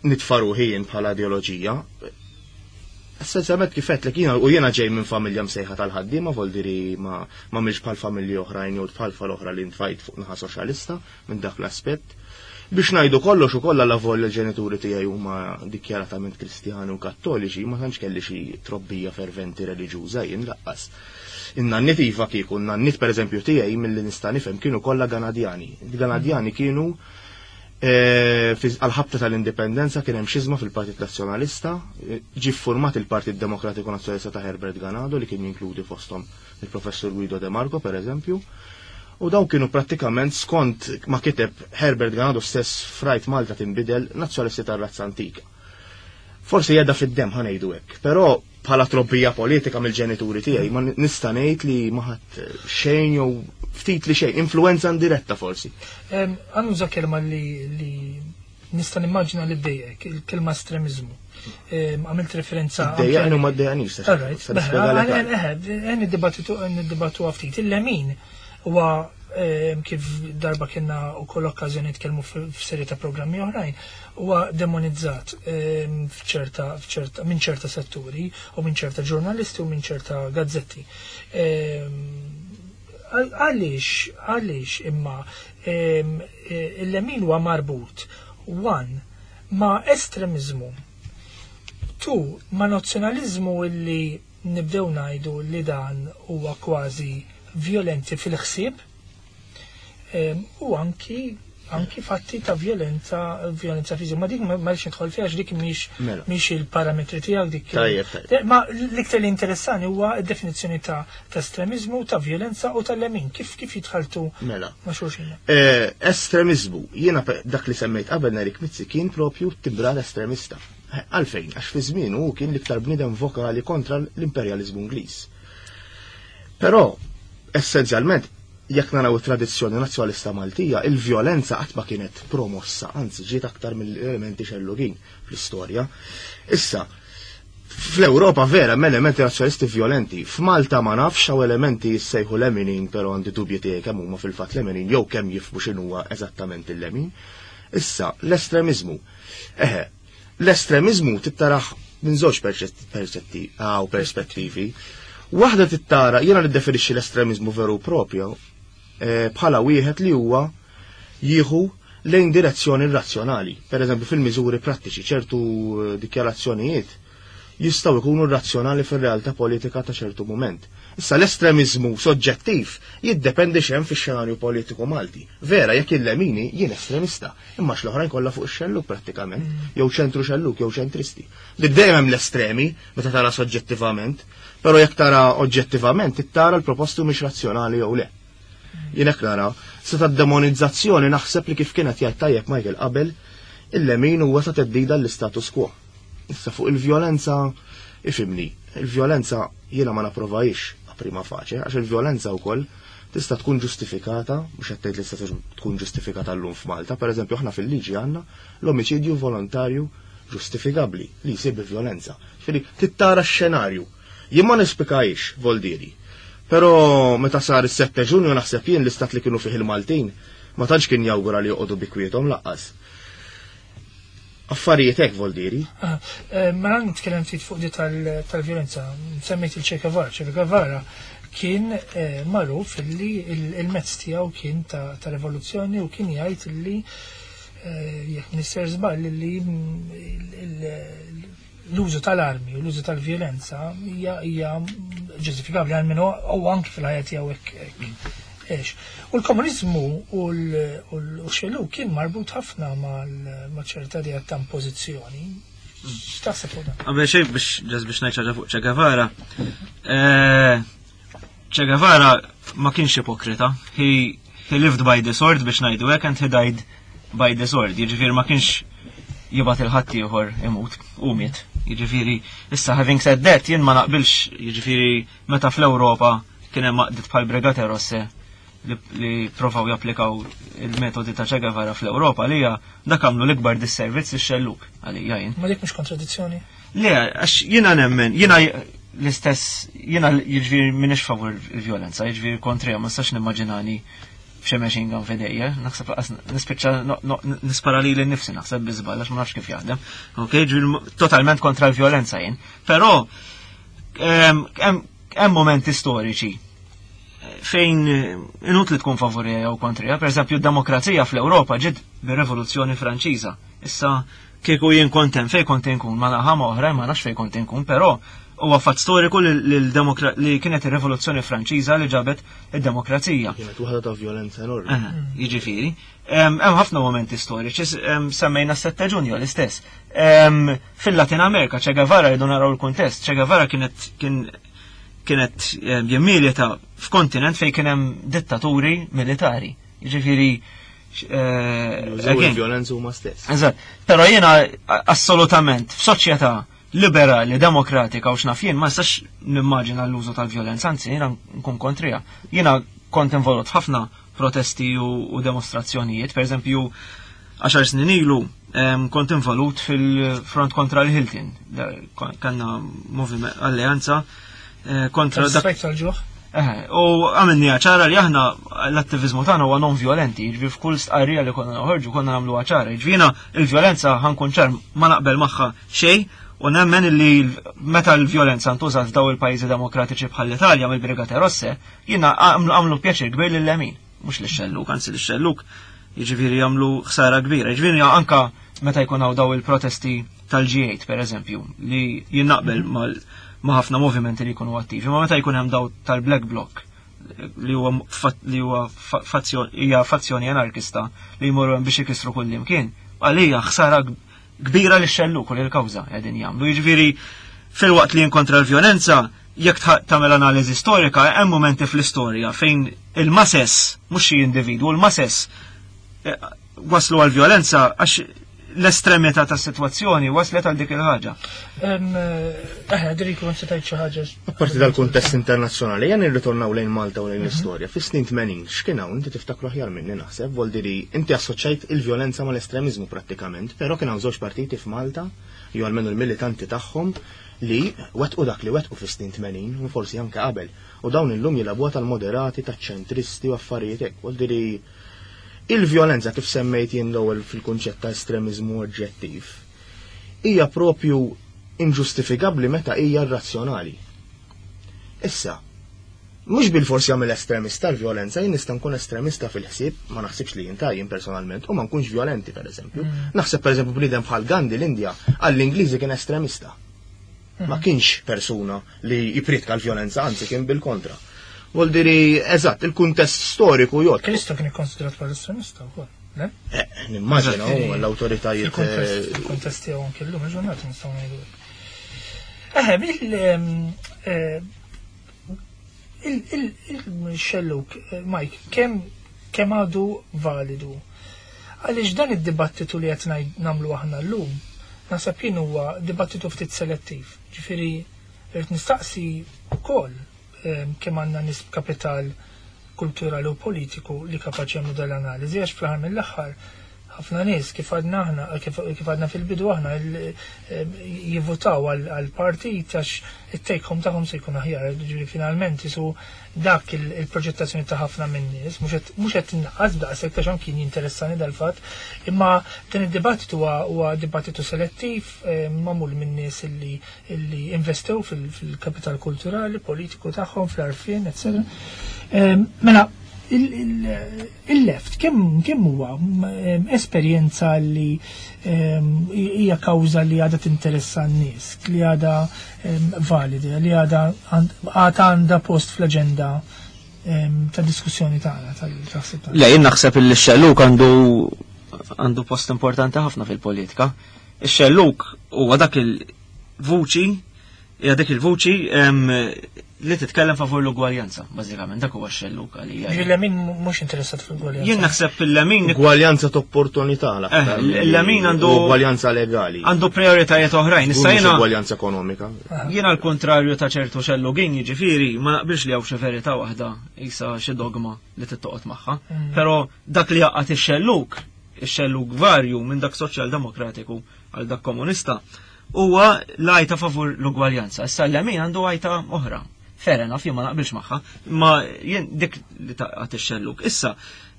nitfa' ruħi jien bħala ideoloġija. Essenzjalment kif għedtlek jiena u jiena ġej minn familja msejħa tal-ħaddiema voldiri ma ma bħal familji oħrajn jew bħal tfal oħra li ntfajt fuq naħa soċjalista minn dak l-aspett. Biex ngħidu kollox ukoll alla volja l-ġenituri tiegħi huma dikjaratament Kristjani u Kattoliċi, ma tantx kelli xi trobbija ferventi reliġjuża jien laqqas. In-nanniet iva kieku, n-nanniet pereżempju tiegħi milli nista' nifhem kienu kollha Ganadjani. Il-Ganadjani kienu eh, għal-ħabta tal-indipendenza kien hemm xiżma fil-Partit Nazzjonalista, eh, ġie ffurmat il-Partit Demokratiku Nazzjonalista ta' Herbert Ganado li kien jinkludi fosthom il-Professur Guido De Marco pereżempju. U dawn kienu prattikament skont ma kiteb Herbert Ganado stess frajt Malta tinbidel nazzjonalisti tar-razza antika. Forsi jedha fid-demm ħa ngħidu hekk, però bħala trobbija politika mill-ġenituri tiegħi ma nista' ngħid li ma ħadd xejn jew ftit li xejn, influenza indiretta forsi. Għannuża kelma li nista' nimmaġina li ddejjek, il-kelma estremiżmu. Għamilt referenza. Ddejjaqni u ma ddejjaqnix. Għen id-dibattitu ftit. Il-lemin huwa kif darba kienna u koll okkażjoni nitkellmu f'serje ta' programmi oħrajn, huwa demonizzat f'ċerta, f'ċerta, minn ċerta setturi u minn ċerta ġurnalisti u minn ċerta gazzetti. Għaliex, għaliex imma il-lemin huwa marbut one ma' estremizmu, two ma' nazzjonalizmu illi nibdew ngħidu li dan huwa kważi vjolenti fil-ħsieb u anki anki fatti ta' violenza violenza fiżika. Ma dik ma rridx nidħol fiha dik mhix mela. mhix il-parametri tiegħek dik. Tajjeb, Ma l-iktar li interessani huwa d-definizzjoni ta' estremizmu, ta' violenza u tal-lemin. Kif kif jitħaltu mela. ma' xulxin? Eh, estremizmu, jiena dak li semmejt qabel Nerik Mizzi kien propju tibra l-estremista. Eh, għalfejn, għax fi żmien hu kien l-iktar bniedem vokali kontra l-imperjaliżmu Ingliż. Però Essenzjalment, jekk naraw it-tradizzjoni nazzjonalista Maltija, il-vjolenza qatt ma kienet promossa, anzi ġiet aktar mill-elementi xellugin fl-istorja. Issa, fl-Ewropa vera hemm elementi nazzjonalisti violenti. F'Malta ma nafx hawn elementi jissejħu leminin, però għandi dubji tiegħi kemm huma fil-fatt leminin jew kemm jifhmu x'inhuwa eżattament il-lemin. Issa, l-estremiżmu. Eħe, l-estremiżmu tittaraħ minn żewġ perċetti għaw perspettivi. Waħda tittara, jiena niddefinixxi l-estremiżmu veru propju eh, bħala wieħed li huwa jieħu lejn direzzjoni razzjonali. Per eżempju, fil-miżuri prattiċi, ċertu eh, dikjarazzjonijiet jistgħu jkunu razzjonali fir-realtà politika ta' ċertu moment. Issa l-estremizmu soġġettiv jiddependi xem fix-xenarju politiku Malti. Vera, jekk il-lemini jien estremista, imma l-oħrajn kollha fuq ix-xelluk prattikament, jew ċentru xelluk jew ċentristi. Li dejjem hemm l-estremi meta tara soġġettivament, però jekk tara oġġettivament tara l-proposti mhix razzjonali jew le. Jien hekk nara, se ta' demonizzazzjoni naħseb li kif kienet jgħid tajjeb Michael qabel, il-lemin huwa ta' teddida l-istatus quo. Issa fuq il-vjolenza, ifimni, il-vjolenza jiena ma napprovajx a prima facie, għax il-vjolenza wkoll tista' tkun ġustifikata, mhux qed tgħid li tista' tkun ġustifikata llum f'Malta, pereżempju aħna fil-liġi għandna l-omiċidju volontarju ġustifikabbli li jsir bi vjolenza. Ġifieri tittara x-xenarju. Jien ma nispikajx, voldieri. Però meta sar is-7 Ġunju naħseb jien l-istat li kienu fih il-Maltin ma tantx kien jawgura li joqogħdu bi kwiethom laqqas. Affarijiet hekk voldieri. Ah, eh, mela nitkellem ftit fuq di tal-vjolenza. Semmejt il-Che Guevara. Che Guevara kien eh, magħruf li il-mezz tiegħu kien ta' rivoluzzjoni u kien jgħid li eh, jekk minister żball li l-użu tal-armi u l-użu tal-vjolenza hija ġustifikabbli għal minnu u anki fil-ħajja tiegħu hekk. Ex. U l-komunizmu u l-xelu kien marbut ħafna ma' ċerta idea ta' impożizzjoni. X'taħseb fuq dan? Qabel xejn biex ġas biex ngħid ħaġa fuq Che Guevara. Eh, Che Guevara ma kienx ipokrita. He, he lived by the sword biex ngħidu hekk and he died by the sword. Jiġifieri ma kienx jibgħat il-ħadd ieħor imut u miet. Jiġifieri issa having said that jien ma naqbilx jiġifieri meta fl-Ewropa kien hemm għaqdiet bħal Brigate Rosse li, li provaw japplikaw il-metodi ta' Che Guevara fl-Ewropa li hija dak għamlu l-ikbar disservizz lix-xelluk għalija jien. Ma dik mhux kontradizzjoni. Le, għax jiena nemmen, jiena l-istess, jiena jiġifieri m'iniex favur il-vjolenza, jiġifieri kontrija, ma nistax nimmaġinani b'xi machine gun f'idejja, naħseb laqas nispiċċa nispara lili nnifsi naħseb bi żball għax ma nafx kif jaħdem. Ok, ġifieri totalment kontra l-vjolenza jien. Però hemm momenti storiċi fejn inutli tkun favorija jew kontrija. Per eżempju, d-demokrazija fl-Ewropa ġiet bir-Rivoluzzjoni Franċiża. Issa kieku jien kont hemm fejn kont inkun, ma naħa ma oħra ma nafx fejn kont inkun, però huwa fatt storiku li li kienet ir-Rivoluzzjoni Franċiża li ġabet id-demokrazija. Kienet waħda ta' vjolenza enormi. Jiġifieri, hemm ħafna momenti storiċi, semmejna s-7 Ġunju l-istess. Fil-Latin Amerika, Che Guevara rridu naraw il-kuntest, Che Guevara kienet kien kienet jimmilita f'kontinent fejn kien hemm dittaturi militari. Jiġifieri Jużaw again, il-vjolenza huma stess. Eżatt. Però jiena assolutament f'soċjetà liberali, demokratika u x'naf jien ma nistax nimmaġina l-użu tal-vjolenza, anzi jiena nkun kontrija. Jiena kont involut f'ħafna protesti u demostrazzjonijiet, per eżempju, 10 snin ilu kont involut fil-front kontra l-Hilton. Kanna moviment alleanza kontra dak Strajk tal-ġuħ. U għamilni ċara li aħna l-attivizmu tagħna huwa non violenti, jiġifieri f'kull stqarrija li konna noħorġu konna nagħmluha ċara. Jiġifieri jiena il-vjolenza ħankun ċar ma naqbel magħha xejn u nemmen li meta l-vjolenza ntużat f'daw il-pajjiżi demokratiċi bħal l-Italja mill-Brigate Rosse, jiena għamlu pjaċir kbir lil-lemin, mhux lix-xelluk, anzi lix-xelluk jiġifieri jagħmlu ħsara kbira. Jiġifieri anka meta jkun hawn daw il-protesti tal-G8 per eżempju, li jien naqbel ma' ħafna movimenti li jkunu attivi, ma meta jkun hemm daw tal-Black Bloc li huwa li huwa hija fazzjoni anarkista li jmorru hemm biex ikissru kull imkien, għalija ħsara kbira li xelluk u li l-kawża qegħdin jagħmlu. Jiġifieri filwaqt li kontra l-vjolenza, jekk tagħmel analiżi storika, hemm momenti fl-istorja fejn il-masses, mhux xi individwu, il-masses waslu għal vjolenza għax L-estremità tas-sitwazzjoni waslet għal dik il-ħaġa. Aħna diri kun se tgħid xi ħaġa. Apparti dal-kuntest internazzjonali, jan nirritornaw lejn Malta u lejn l-istorja. Fis-snin 80, x'kien hawn inti tiftakru aħjar minni naħseb, voldiri inti assoċjajt il-vjolenza mal-estremiżmu prattikament, però kien hawn żewġ partiti f'Malta, jew almenu l-militanti tagħhom, li wettqu dak li wettqu fis-snin 80 u forsi anke qabel. U dawn illum jilagħbuha tal-moderati, taċ-ċentristi u affarijiet hekk. Voldiri il-vjolenza kif semmejt jien l-ewwel fil-kunċett ta' estremiżmu oġġettiv hija propju inġustifikabbli meta hija irrazzjonali. Issa, mhux bil-forsi jagħmel estremista l-vjolenza, jien nista' nkun estremista fil-ħsieb, ma naħsibx li jien jien personalment, u ma nkunx violenti pereżempju. Naħseb pereżempju bniedem bħal Gandhi l-Indja għall-Ingliżi kien estremista. Ma kienx persuna li jipritka l-vjolenza, anzi kien bil-kontra. Vuol diri, eżatt, il-kuntest storiku jgħod. Kristo kien ikkonsidrat bħala estremista wkoll, le? Nimmaġina u l-awtoritajiet. Fil-kuntest tiegħu anke llum il-ġurnata nistgħu ngħidu. Eħe, il-xelluk, Mike, kemm għadu validu? Għaliex dan id-dibattitu li qed nagħmlu aħna llum, naħseb jien huwa dibattitu ftit selettiv. Ġifieri rrid nistaqsi wkoll kemm għandna nies b'kapital kulturali u politiku li kapaċi jagħmlu dal-analiżi, għax fl-aħħar mill-aħħar ħafna nies kif għadna aħna, kif għadna fil-bidu aħna jivvutaw għal partit għax it-take home tagħhom se jkun aħjar, ġifieri finalment isu dak il-proġettazzjoni ta' ħafna minn nies, mhux qed innaqqas b'daqshekk għax anki jinteressani dal-fatt, imma dan id-dibattitu huwa dibattitu selettiv magħmul minn nies illi investew fil-kapital kulturali, politiku tagħhom, fl-għarfien, eccetera. Mela, il-left kemm huwa esperjenza li hija kawża li għadha tinteressa n-nies, li għadha valida, li għadha għandha post fl-aġenda ta' diskussjoni tagħna tal-taħsib tagħna. Le, jien naħseb li x-xelluk għandu post importanti ħafna fil-politika. Ix-xelluk huwa dak il-vuċi, hija dik il-vuċi li titkellem favur l-ugwaljanza, bażikament, dak huwa x-xelluk għalija. Ġifieri l-lemin mhux interessat fl-ugwaljanza. Jien naħseb il-lemin Ugwaljanza ta' opportunità l-aktar Il-lemin għandu ugwaljanza legali. Għandu prioritajiet oħrajn. Issa Mhux jiena ugwaljanza ekonomika. Jiena l-kontrarju ta' ċertu xellugin, jiġifieri ma naqbilx li hawn xi verità waħda isa xi dogma li tittoqgħod magħha. Però dak li jaqgħad ix-xelluk, ix-xelluk varju minn dak soċjal-demokratiku għal dak komunista, huwa l-għajta favur l-ugwaljanza. Issa l-lemin għandu għajta oħra. Fair enough, jien ma naqbilx magħha, ma jien dik li taqgħad ix-xelluk. Issa,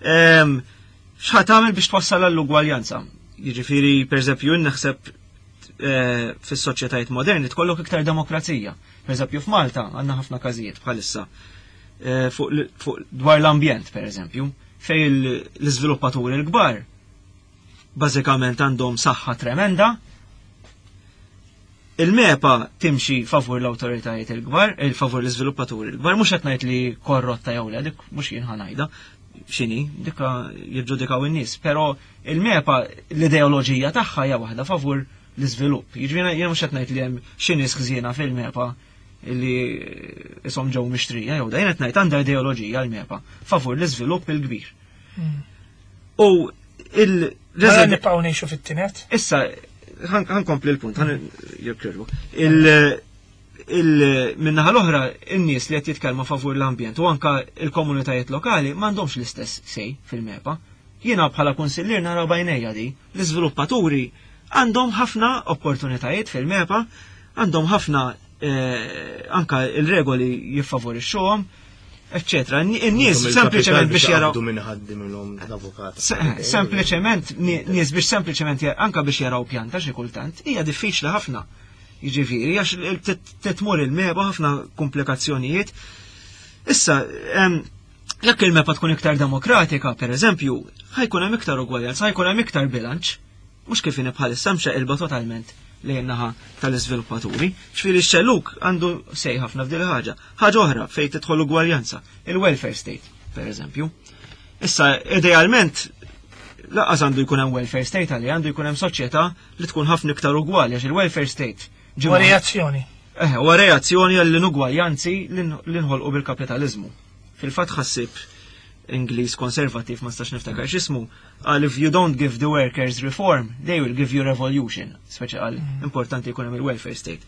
x'ħa tagħmel biex twassal għall-ugwaljanza? Jiġifieri, pereżempju, jien naħseb fis-soċjetajiet moderni tkollok iktar demokrazija. Pereżempju, f'Malta għandna ħafna każijiet bħalissa fuq dwar l-ambjent, pereżempju, fejn l-iżviluppaturi l-kbar bażikament għandhom saħħa tremenda. Il-MEPA timxi favur l-awtoritajiet il-kbar, il-favur l-iżviluppaturi l-kbar, mhux qed ngħid li korrotta jew le, dik mhux jien ħanajda, x'inhi, dikka jiġġudikaw in-nies, però il-MEPA l-ideoloġija tagħha hija waħda favur l-iżvilupp. Jiġifieri jien mhux qed ngħid li hemm xi nies ħżiena fil-MEPA li ishom ġew mixtrija jew da, jien qed ngħid għandha ideoloġija l-MEPA favur l-iżvilupp il-kbir. U il- Mela nibqgħu ngħixu fit-tinet? Issa, ħankompli l-punt, ħan jekk Min-naħa l-oħra, in-nies li qed jitkellmu favur l-ambjent u anka il-komunitajiet lokali m'għandhomx l-istess sej fil-MEPA. Jiena bħala kunsillier nara bajnejja di, l-iżviluppaturi għandhom ħafna opportunitajiet fil-MEPA, għandhom ħafna anka il-regoli jiffavorixxuhom, eccetera. In-nies Għandhom sempliċement il-kapital biex biex jaraw jaqbdu minn ħaddi minnhom l-avukat. Sempliċement nies biex sempliċement anka biex jaraw pjanta xi kultant hija diffiċli ħafna. Jiġifieri għax titmur il-MEPA ħafna komplikazzjonijiet. Issa, jekk il-MEPA tkun iktar demokratika, per eżempju, ħajkun hemm iktar ugwaljanza, ħajkun hemm iktar bilanċ, mhux kif inhi bħalissa mxaqilba totalment lejn naħa tal-iżviluppaturi. Ġifieri x-xelluk għandu sej ħafna f'din il-ħaġa. Ħaġa oħra fejn tidħol ugwaljanza, il-welfare state, per eżempju. Issa, idealment, lanqas għandu jkun hemm welfare state għalli, għandu jkun hemm soċjetà li tkun ħafna iktar ugwali, għax il-welfare state ġimgħa Huwa reazzjoni. Huwa reazzjoni għall-inugwaljanzi li nħolqu bil-kapitalizmu. Fil-fatt ħassib Ingliż konservativ ma stax niftakar x'ismu, qal if you don't give the workers reform, they will give you revolution. Speċi qal importanti jkun hemm il-welfare state.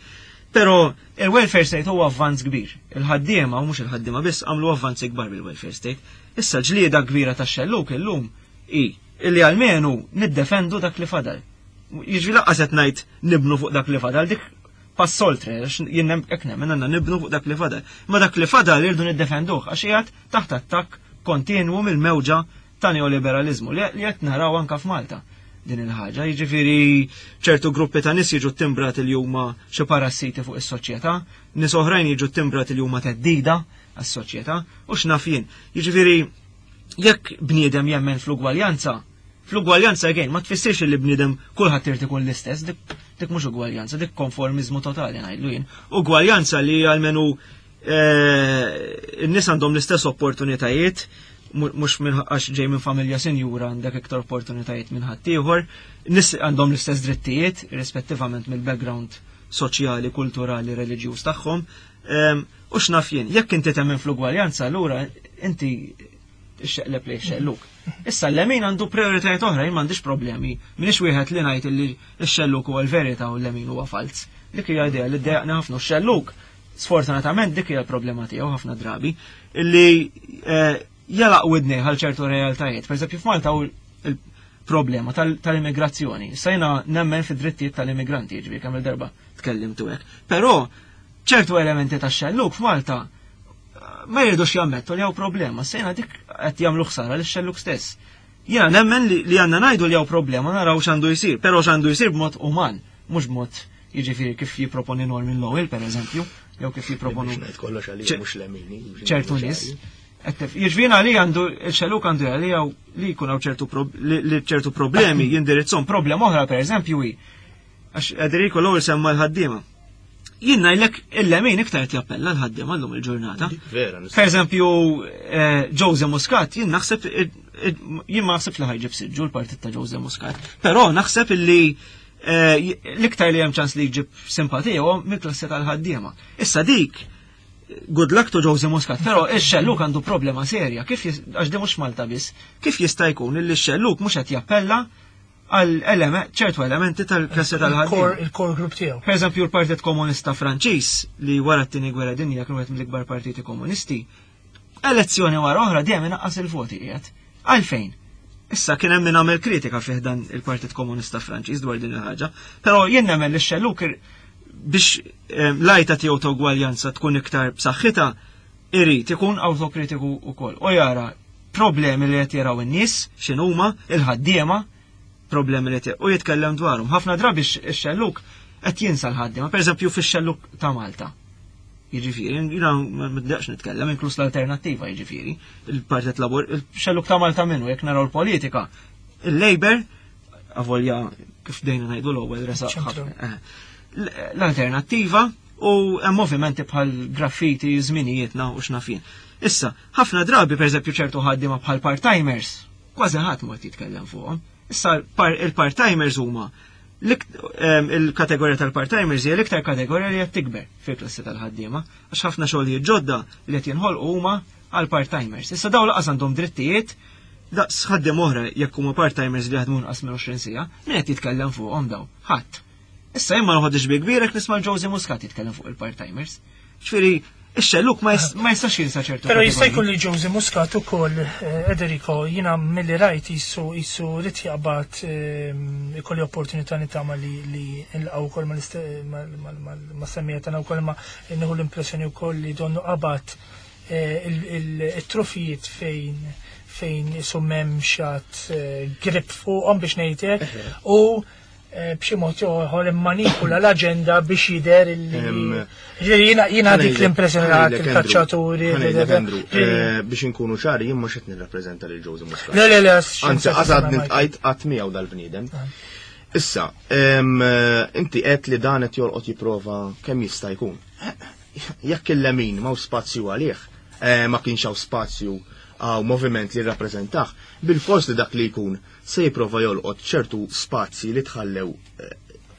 Però il-welfare state huwa avvanz kbir. Il-ħaddiema u mhux il-ħaddiema biss għamlu avvanzi kbar bil-welfare state. Issa ġlieda kbira tax-xelluk illum hi illi almenu niddefendu dak li fadal. Jiġri laqqas qed ngħid nibnu fuq dak li fadal, dik pass oltre, għax jien hekk nemmen għandna nibnu fuq dak li fadal. Ma dak li fadal irdu niddefenduh għax qiegħed taħt attakk kontinwu mill-mewġa ta' neoliberalizmu li qed naraw anka f'Malta din il-ħaġa. Jiġifieri ċertu gruppi ta' nies jiġu timbrati li huma xi parassiti fuq is-soċjetà, nies oħrajn jiġu timbrati li huma teddida għas-soċjetà u x'naf jien. Jiġifieri jekk bniedem jemmen fl-ugwaljanza, fl-ugwaljanza again ma tfissirx li bniedem kulħadd irid ikun l-istess, dik mhux ugwaljanza, dik konformiżmu totali ngħidlu jien. Ugwaljanza li għalmenu n-nies għandhom l-istess opportunitajiet, mhux minn għax ġej minn familja sinjura għandek iktar opportunitajiet minn ħaddieħor, nies għandhom l-istess drittijiet, rispettivament mill-background soċjali, kulturali, reliġjuż tagħhom. U x'naf jien, jekk inti temmen fl-ugwaljanza, allura inti xeqleb li xelluk. Issa l-lemin għandu prioritajiet oħra, jien m'għandix problemi. Minix wieħed li ngħid li x-xelluk huwa l-verità u l-lemin huwa falz. Dik hija idea li ddejjaqni ħafna x-xelluk. Sfortunatament dik hija l-problema tiegħu ħafna drabi illi jalaq widnej għal ċertu realtajiet. Per eżempju f'Malta hu il-problema tal-immigrazzjoni. Issa jiena nemmen fid-drittijiet tal-immigranti, jiġifieri kemm il-darba tkellimtu hekk. Però ċertu elementi tax-xelluk f'Malta ma jridux jammettu li hawn problema. Sejna dik qed jagħmlu ħsara lix xelluk stess. Jiena nemmen li għandna ngħidu li hawn problema naraw x'għandu jsir, però x'għandu jsir b'mod uman, mhux b'mod jiġifieri kif jipproponi Norman Lowell pereżempju, jew kif jipproponu Ngħid kollox għalija mhux lemini. ċertu nies. Jiġifieri li għandu il-xelluk għandu għalija li jkun hawn ċertu li ċertu problemi jindirizzhom. Problema oħra pereżempju hi għax Enrico l-ewwel semma l-ħaddiema. Jien ngħidlek il-lemin iktar qed jappella l-ħaddiema llum il-ġurnata. Vera, Per eżempju, Jose Muscat, jien naħseb jien ma naħseb li ħajġib siġġu l-partit ta' Jose Muscat, però naħseb illi l-iktar li hemm ċans li jġib simpatija huwa mill-klassi tal-ħaddiema. Issa dik, good luck to Jose Muscat, però ix-xelluk għandu problema serja, kif għax di mhux Malta biss, kif jista' jkun illi x-xelluk mhux qed jappella għal ċertu elementi tal-klassi tal-ħaddiema. Il-core group tiegħu. Per eżempju, l-Partit Komunista Franċiż li wara t-tieni gwerra dinja kienu wieħed mill-ikbar partiti komunisti, elezzjoni wara oħra dejjem inaqqas il-voti qiegħed. Għalfejn? Issa kien hemm min għamel kritika fih dan il-Partit Komunista Franċiż dwar din il-ħaġa, però jien nemmen li x-xelluk biex l-għajta tiegħu ta' ugwaljanza tkun iktar b'saħħitha irid ikun awtokritiku wkoll u jara problemi li qed jaraw in-nies x'inhuma il-ħaddiema problemi li qed u jitkellem dwarhom. Ħafna drabi x-xelluk qed jinsa l-ħaddiema, pereżempju fix-xelluk ta' Malta. Jiġifieri, jiena ma nibdaqx nitkellem, inkluż l-alternattiva, jiġifieri, il-Partit Labur, il-xelluk ta' Malta minnu, jekk naraw l-politika, il-Labour, avolja kif dejna ngħidu l-ewwel resaq Ċentru. ħafna, l-alternattiva u hemm movimenti bħal graffiti, żminijietna u x'naf jien. Issa, ħafna drabi pereżempju ċertu ħaddiema bħal part-timers, kważi ħadd mod jitkellem fuqhom. Issa il-part-timers huma il-kategorija tal-part-timers hija l-iktar kategorija li qed tikber fil-klassi tal-ħaddiema, għax ħafna xogħlijiet ġodda li qed jinħolqu huma għal part-timers. Issa dawn laqas għandhom drittijiet daqs ħaddiem oħra jekk huma part-timers li jaħdmu inqas minn 20 siegħa, min qed jitkellem fuqhom daw? Ħadd. Issa jien ma noħodx bi kbir jekk nisma' Jose Muscat jitkellem fuq il-part-timers. Ġifieri, ix-xelluk ma jistax jinsa ċertu Però jista' kategoriji. jkun li Jose Muscat ukoll, Ederico, jiena milli rajt jisu rid jaqbad ikolli opportunità nitama li nilqgħu wkoll ma' semmija tagħna wkoll, ma nieħu l-impressjoni wkoll li donnu qabad it-trufijiet fejn isu m'hemmx għad grip fuqhom biex ngħidlek, u b'xi mod ieħor immanipula l-aġenda biex jidher illi Ġifieri jiena dik l-impressjoni li ħadd il-kaċċaturi, Ħa ngħidlek, da, da, Andrew, ġifieri biex inkunu ċari, jien mhux qed nirrappreżenta lil Jose Muscat. Le, le, le, Anzi, x'insa qasad tisma' Michael. niltqajt qatt miegħu dal-bniedem. Issa, inti qed li dan qed jolqot jipprova kemm jista' jkun. Jekk il-lemin m'hawn spazju għalih, ma kienx hawn spazju għaw moviment li rappreżentah, bil-fors li dak li jkun se jipprova jolqot ċertu spazji li tħallew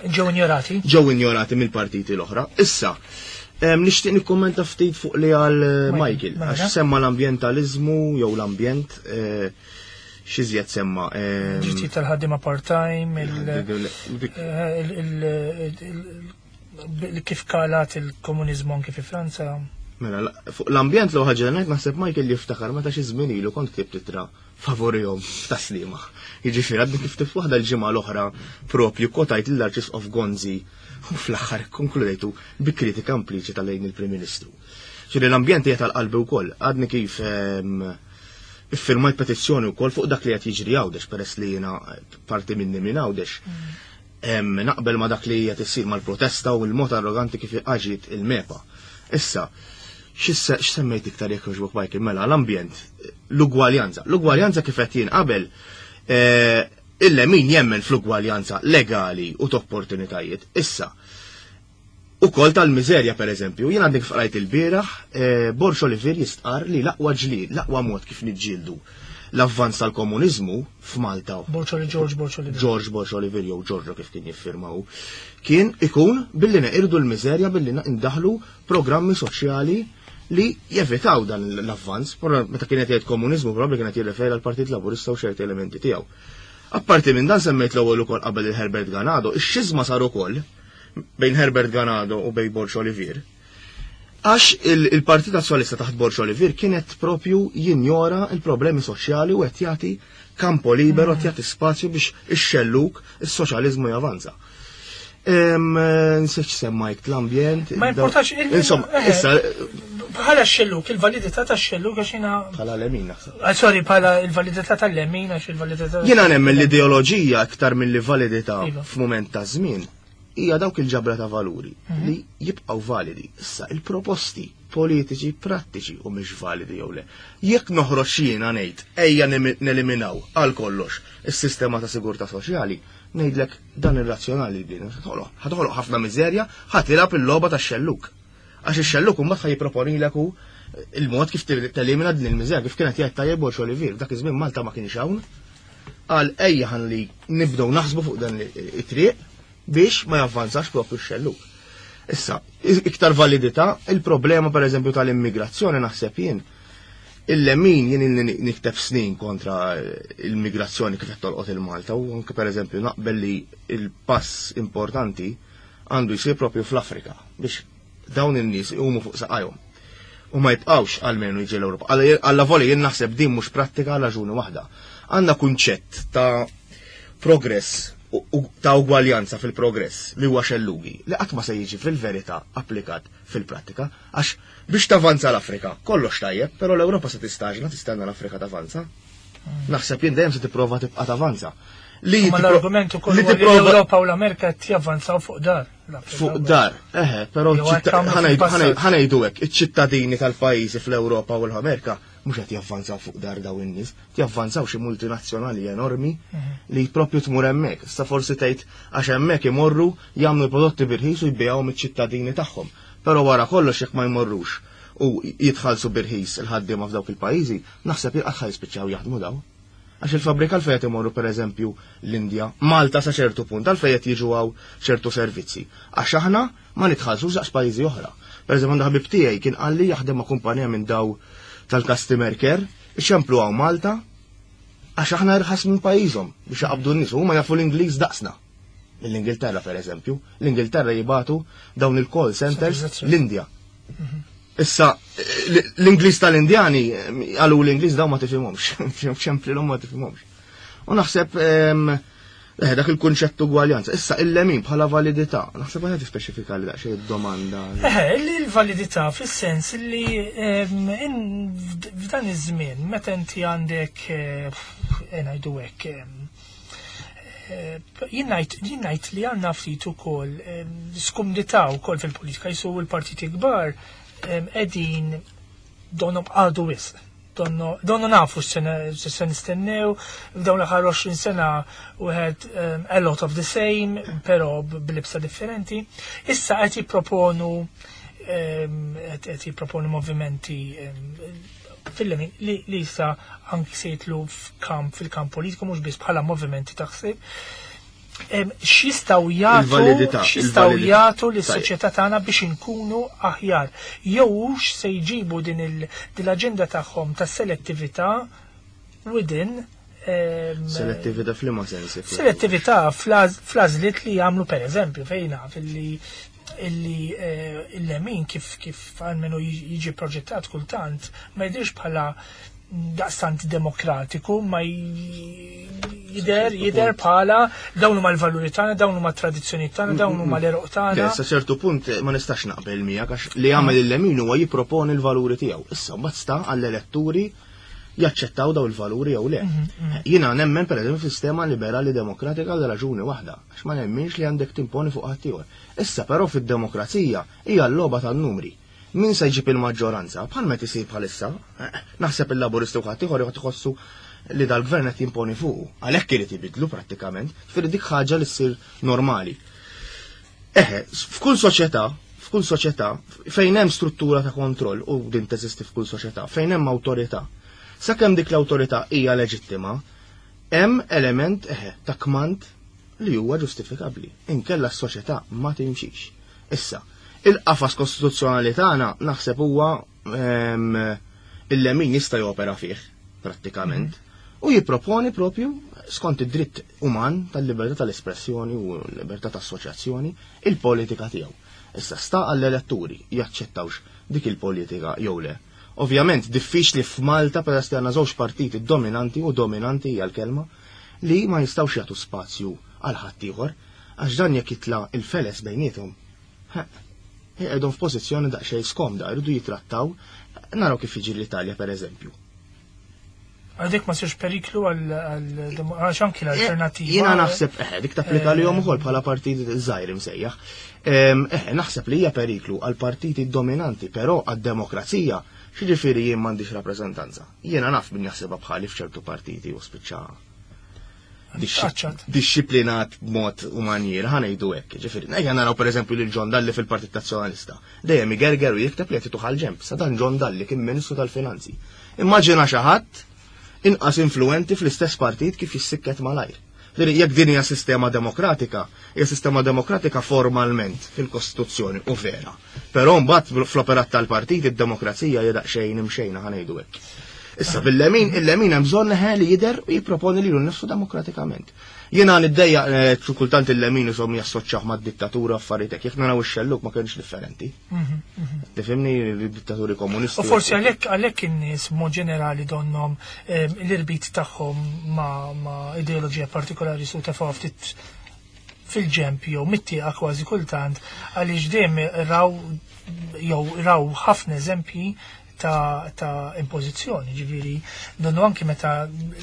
ġew injorati. Ġew injorati mill-partiti l-oħra. Issa, Nixtieq nikkummenta ftit fuq li għal Michael, Mela. għax semma l-ambjentaliżmu jew l-ambjent, x'iżjed semma. Drittijiet tal-ħaddiema part-time, kif kalat il-komuniżmu anki fi Franza. Mela, fuq l-ambjent l ħaġa li ngħid naħseb Michael jiftakar meta xi żmien ilu kont ktibt ittra favorihom f'Tas-Sliema. Jiġifieri għadni kif ktibt waħda l-ġimgħa l-oħra propju kwotajt lill-Arċisqof Gonzi u fl-aħħar konkludejtu bi kritika impliċita lejn il-Prim Ministru. Ġifieri l-ambjent hija tal-qalbi wkoll. Għadni kif iffirmajt petizzjoni wkoll fuq dak li qed jiġri Għawdex peress li jiena parti minni minn Għawdex. Naqbel ma dak li qed issir mal-protesta u l-mod arroganti kif aġiet il-MEPA. Issa, x'semmejt iktar jekk jogħġbok Michael? Mela, l-ambjent, l-ugwaljanza. L-ugwaljanza kif qed jien qabel, illa min jemmen fl-ugwaljanza legali u t-opportunitajiet. Issa, ukoll tal-miżerja per eżempju, jien għandek fqrajt il-bieraħ, Borg Olivier jistqar li l-aqwa ġlied, l-aqwa mod kif niġġieldu l-avvanz tal-komuniżmu f'Malta. Borg Olivier, George Borg Olivier. George Borg Olivier jew Giorgio kif kien jiffirmaw, kien ikun billi neqirdu l-miżerja billi ndaħlu programmi soċjali li jevitaw dan l-avvanz. Però meta kienet jgħid komuniżmu probabbli kienet jirreferi għall-Partit Laburista u ċerti elementi tiegħu. Apparti minn dan semmejt l-ewwel ukoll qabel il-Herbert Ganado, ix-xiżma sar ukoll bejn Herbert Ganado u bejn Borg Olivier. Għax il-Partit Nazzjonalista taħt Borg Olivier kienet propju jinjora il-problemi soċjali u qed jagħti kampo libero, qed jagħti spazju biex ix-xelluk, is-soċjaliżmu javanza. Nsejt semmajt l-ambjent. Ma importax Insomma, issa Bħala x-xelluk, il-validità tax-xelluk għax jiena Bħala l-lemin naħseb. Ah, sorry, bħala il-validità tal-lemin għax il-validità Jiena nemmen l-ideoloġija aktar mill-validità f'mument ta' żmien hija dawk il-ġabra ta' valuri li jibqgħu validi. Issa il-proposti politiċi prattiċi u mhix validi jew le. Jekk noħroġ jiena ngħid ejja neliminaw għal kollox is-sistema ta' sigurtà soċjali, ngħidlek dan irrazzjonali din. Ħatoħloq ħafna miżerja, ħa tilgħab il-logħba tax-xelluk. Għax ix-xelluk imbagħad ħa jipproponilek hu il-mod kif telimina din il-miżerja, kif kienet jgħid tajjeb Borg Olivier, dak iż-żmien Malta ma kienx hawn. Qal ejja ħalli nibdew naħsbu fuq dan it-triq biex ma javvanzax propju x-xelluk. Issa, iktar validità, il-problema per eżempju tal-immigrazzjoni naħseb jien, il-lemin jien ilni nikteb snin kontra l-immigrazzjoni kif qed tolqot il-Malta u anke per eżempju naqbel li il-pass importanti għandu jsir propju fl-Afrika biex dawn in-nies iqumu fuq saqajhom. U ma jibqgħux almenu jiġi l-Ewropa. Alla voli jien naħseb din mhux prattika għal raġuni waħda. Għandna kunċett ta' progress u ta' ugwaljanza fil-progress li huwa xellugi li qatt ma se jiġi fil-verità applikat fil-prattika għax biex tavanza l-Afrika kollox tajjeb, però l-Ewropa se tistaġna tistenna l-Afrika tavanza. Naħseb jien dejjem se tipprova tibqa' tavanza. Li Ma l-argument ukoll li huwa li tipprova l-Ewropa u l-Amerika qed javvanzaw fuq dar. L-Afrika Fuq u dar, eħe, però Jew hekk għamlu fil-passat. ħanejdu hekk, iċ-ċittadini tal-pajjiżi fl-Ewropa u l-Amerika mhux qed javvanzaw fuq dar daw in-nies, javvanzaw xi multinazzjonali enormi li propju tmur hemmhekk. Issa forsi tgħid għax hemmhekk imorru jagħmlu prodotti birħis u jbigħuhom iċ-ċittadini tagħhom. Però wara kollox jekk ma jmorrux u jitħallsu birħis il-ħaddiema f'dawk il-pajjiżi, naħseb jilqgħad ħa jispiċċaw jaħdmu daw. Għax il-fabrika għalfejn qed imorru pereżempju l-Indja, Malta sa ċertu punt għalfejn qed jiġu hawn ċertu servizzi. Għax aħna ma nitħallsux daqs pajjiżi oħra. Pereżempju għandu ħabib tiegħi kien qalli jaħdem ma' kumpanija minn daw tal-customer care, iċemplu hawn Malta għax aħna irħas minn pajjiżhom biex jaqbdu n-nies, huma jafu l-Ingliż daqsna. L-Ingilterra pereżempju, l-Ingilterra jibatu dawn il-call centers l-Indja. Issa, l-Ingliż tal-Indjani, għalu l-Ingliż daw ma tifhimhomx, ċemplilhom ma tifhimhomx. U naħseb dak il-kunċett ugwaljanza. Issa il-lemin bħala validità, naħseb għajja tispeċifika li daqsxejn id-domanda. Eħe, li l-validità fis-sens li f'dan iż-żmien meta inti għandek ngħidu hekk, jien ngħid li għandna ftit ukoll skumdità wkoll fil-politika jisu l-partiti kbar qegħdin donhom għadu wisq. Donno nafu x'se nistennew, f'dawn l-aħħar 20 sena we had a lot of the same, però b'libsa differenti. Issa qed jipproponu movimenti fil-lemin li issa anki se jitlu fil-kamp politiku mhux biss bħala movimenti ta' ħsieb. X'jistgħu jagħtu x'jistgħu jagħtu lis-soċjetà tagħna biex inkunu aħjar. Jew hux se jġibu din l-aġenda tagħhom ta' selettività within Selettività f'liema sensi? Selettività fl-għażliet li jagħmlu pereżempju fejn naf illi illi eh, il-lemin kif kif għalmenu jiġi proġettat kultant ma jidhirx bħala daqstant demokratiku ma jider jider bħala dawn huma l-valuri tagħna, dawn huma t-tradizzjoni tagħna, dawn huma l-eruq tagħna. Sa ċertu punt ma nistax naqbel miegħek għax li jagħmel il-lemin huwa jipproponi l-valuri tiegħu. Issa mbagħad sta għall-eletturi jaċċettaw daw il-valuri jew le. Mhm, mhm. Jiena nemmen pereżempju sistema liberali demokratika għal raġuni waħda, għax ma nemminx li għandek timponi fuq ħaddieħor. Issa però fid-demokrazija hija l-logħba tan-numri. Min se jġib il-maġġoranza, bħal meta isir bħalissa, naħseb il-Laburisti u ħaddieħor joqgħod iħossu li dal-gvern qed jimponi fuqu. Għalhekk irid ibidlu prattikament, ġifieri dik ħaġa li ssir normali. Eħe, f'kull soċjetà, f'kull soċjetà, fejn hemm struttura ta' kontroll u din teżisti f'kull soċjetà, fejn hemm awtorità, sakemm dik l-awtorità hija leġittima, hemm element eħe ta' kmand li huwa ġustifikabbli. Inkella s-soċjetà ma timxix. Issa, il-qafas kostituzzjonali tagħna naħseb huwa ehm, il-lemin jista' jopera fih prattikament u jipproponi propju skont id-dritt uman tal-libertà tal-espressjoni u l-libertà ta' assoċjazzjoni il-politika tiegħu. Issa sta għall-eletturi jaċċettawx dik il-politika jew le. Ovvjament diffiċli f'Malta peress li għandna żewġ partiti dominanti u dominanti hija l-kelma li ma jistgħux jagħtu spazju għal ħaddieħor Għax dan jekk jitla' il-feles bejniethom, iqegħdhom f'pożizzjoni daqsxejn skomda, jridu jitrattaw, naraw kif jiġi l-Italja pereżempju. Għal dik ma sirx periklu għal għax anki l-alternativa. Jiena naħseb, eħe, dik tapplika li ukoll bħala partit żgħir imsejjaħ. Eħe, naħseb li hija periklu għal partiti dominanti, però għad-demokrazija, x'jiġifieri jien m'għandix rappreżentanza. Jiena naf min jaħsibha bħali f'ċertu partiti u spiċċa Dixxiplinat b'mod u manjiera, ħa ngħidu hekk. Ġifieri, ejja naraw pereżempju lil John Dalli fil-Partit Nazzjonalista. Dejjem igerger u jikteb li qed ituh għall-ġenb, sa dan John Dalli kien Ministru tal-Finanzi. Immaġina xi ħadd inqas influwenti fl-istess partit kif jissikket malajr. Ġifieri, jekk din hija sistema demokratika, hija sistema demokratika formalment fil-Kostituzzjoni u vera. Però mbagħad fl-operat tal-partit id-demokrazija hija daqsxejn imxejna ħa ngħidu hekk. Issa bil-lemin, il-lemin hemm bżonn leħe li jidher u jipproponi lilu nnifsu demokratikament. Jiena niddejjaq eh, kultant il-lemin isom jassoċjaw mad-dittatura affarijiet hekk. Jekk naraw ix-xelluk ma kienx differenti. Mhm, mhm. Tifhimni dittaturi komunisti. U forsi għalhekk għalhekk in-nies mod ġenerali donhom eh, l-irbit tagħhom ma' ideoloġija partikolari su tefgħu ftit fil-ġenb jew mit-tieqa kważi kultant għaliex dejjem raw jew raw ħafna eżempji ta', ta impożizzjoni, ġifieri donnu anki meta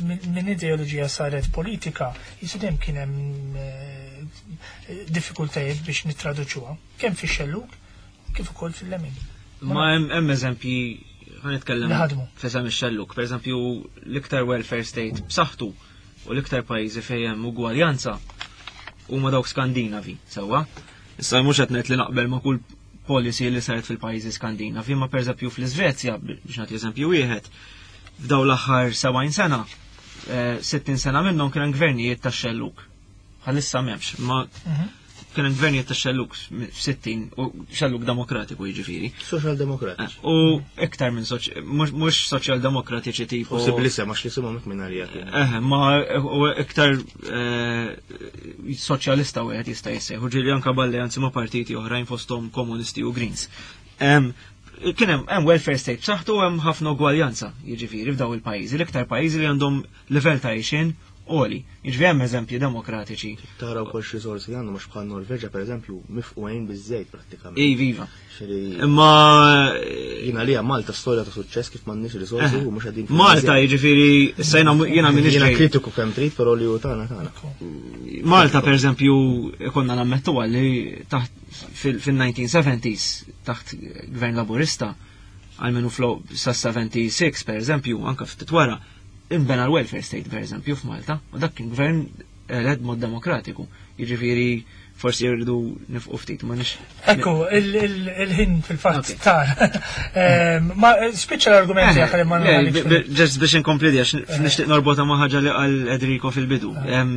minn ideoloġija saret politika, jisu dejjem kien hemm eh, diffikultajiet biex nittraduċuha, kemm fix-xellug kif ukoll fil-lemin. Ma hemm eżempji ħa nitkellem fesem ix-xellug, pereżempju l-iktar welfare state b'saħħtu u l-iktar pajjiżi fejn hemm ugwaljanza huma dawk Skandinavi, sewwa. Issa mhux qed ngħid li naqbel ma' kull policy li saret fil-pajjiżi Skandinavi, ma pereżempju fl-Iżvezja, biex nagħti eżempju wieħed, f'daw l-aħħar 70 sena, 60 eh, sena minnhom kien hemm gvernijiet tax-xelluk. Bħalissa m'hemmx, ma mhm. kien hemm gvernijiet ta' xelluk f'60 u xelluk demokratiku jiġifieri. Social demokratiċi. Eh, u iktar minn mhux soċjal demokratiċi tipo. Possibbli sem għax li simhom minn għalija. Eh, ma u iktar eh, soċjalista wieħed jista' jissejħu ġieli anke b'alleanzi ma' partiti oħrajn fosthom komunisti u Greens. Kien hemm welfare state b'saħħtu hemm ħafna ugwaljanza, jiġifieri f'daw il-pajjiżi, l-iktar pajjiżi li għandhom livell ta' għixien għoli. Jiġifieri hemm eżempji demokratiċi. Tara wkoll xi riżorsi għandhom għax bħal Norveġa pereżempju mifqugħin biż-żejt prattikament. Iva, iva. Imma jiena li Malta storja ta' suċċess kif m'għandniex riżorsi eh. u mhux qegħdin. Malta jiġifieri issa jiena jiena m'iniex Jiena kritiku kemm trid però li hu tagħna tagħna. Malta pereżempju konna nammettu li taħt fil-1970s taħt gvern laburista għalmenu fl sa 76 per eżempju, anka ftit wara, inbena l-welfare state per eżempju f'Malta, u dak kien gvern elett mod demokratiku. Jiġifieri forsi jridu nifqu ftit ma nix. Ekku, il-ħin fil-fatt tar. Ehm, ma spiċċa l-argumenti eh, għal ma Ġest biex inkompli għax eh. nixtieq norbota ma' ħaġa li qal Edrico fil-bidu. Eh. Ehm,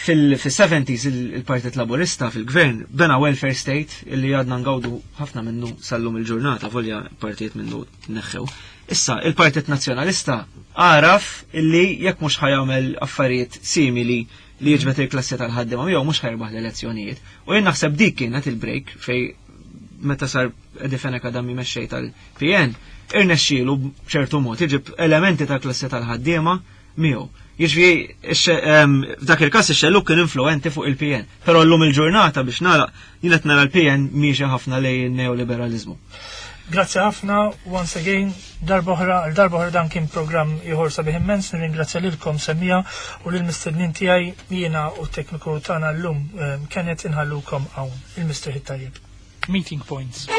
Fil-70s il-Partit Laburista fil-gvern bena welfare state illi għadna ngawdu ħafna minnu sal-lum il-ġurnata, volja partijiet minnu neħħew. Issa, il-Partit Nazzjonalista għaraf illi jekk mhux ħa jagħmel affarijiet simili li jiġbed il-klassi tal-ħaddiema miegħu mhux ħa jirbaħ l-elezzjonijiet. U jien naħseb dik kienet il-break fej meta sar Eddie Fenech Adami mexxej tal-PN, irnexxielu b'ċertu mod iġib elementi tal-klassi tal-ħaddiema miegħu. Jiġifieri f'dak il-każ ix-xellug kien influenti fuq il-PN. Però llum il-ġurnata biex nagħlaq jien qed nara l-PN miexi ħafna lejn il-neoliberaliżmu. Grazzi ħafna, once again, darba oħra, għal darba oħra dan kien programm ieħor sabiħ immens, nirringrazzja lilkom semmiegħa u lill-mistednin tiegħi jiena u t-tekniku tagħna llum Kenneth inħallukom hawn. Il-mistrieħ it-tajjeb. Meeting Points.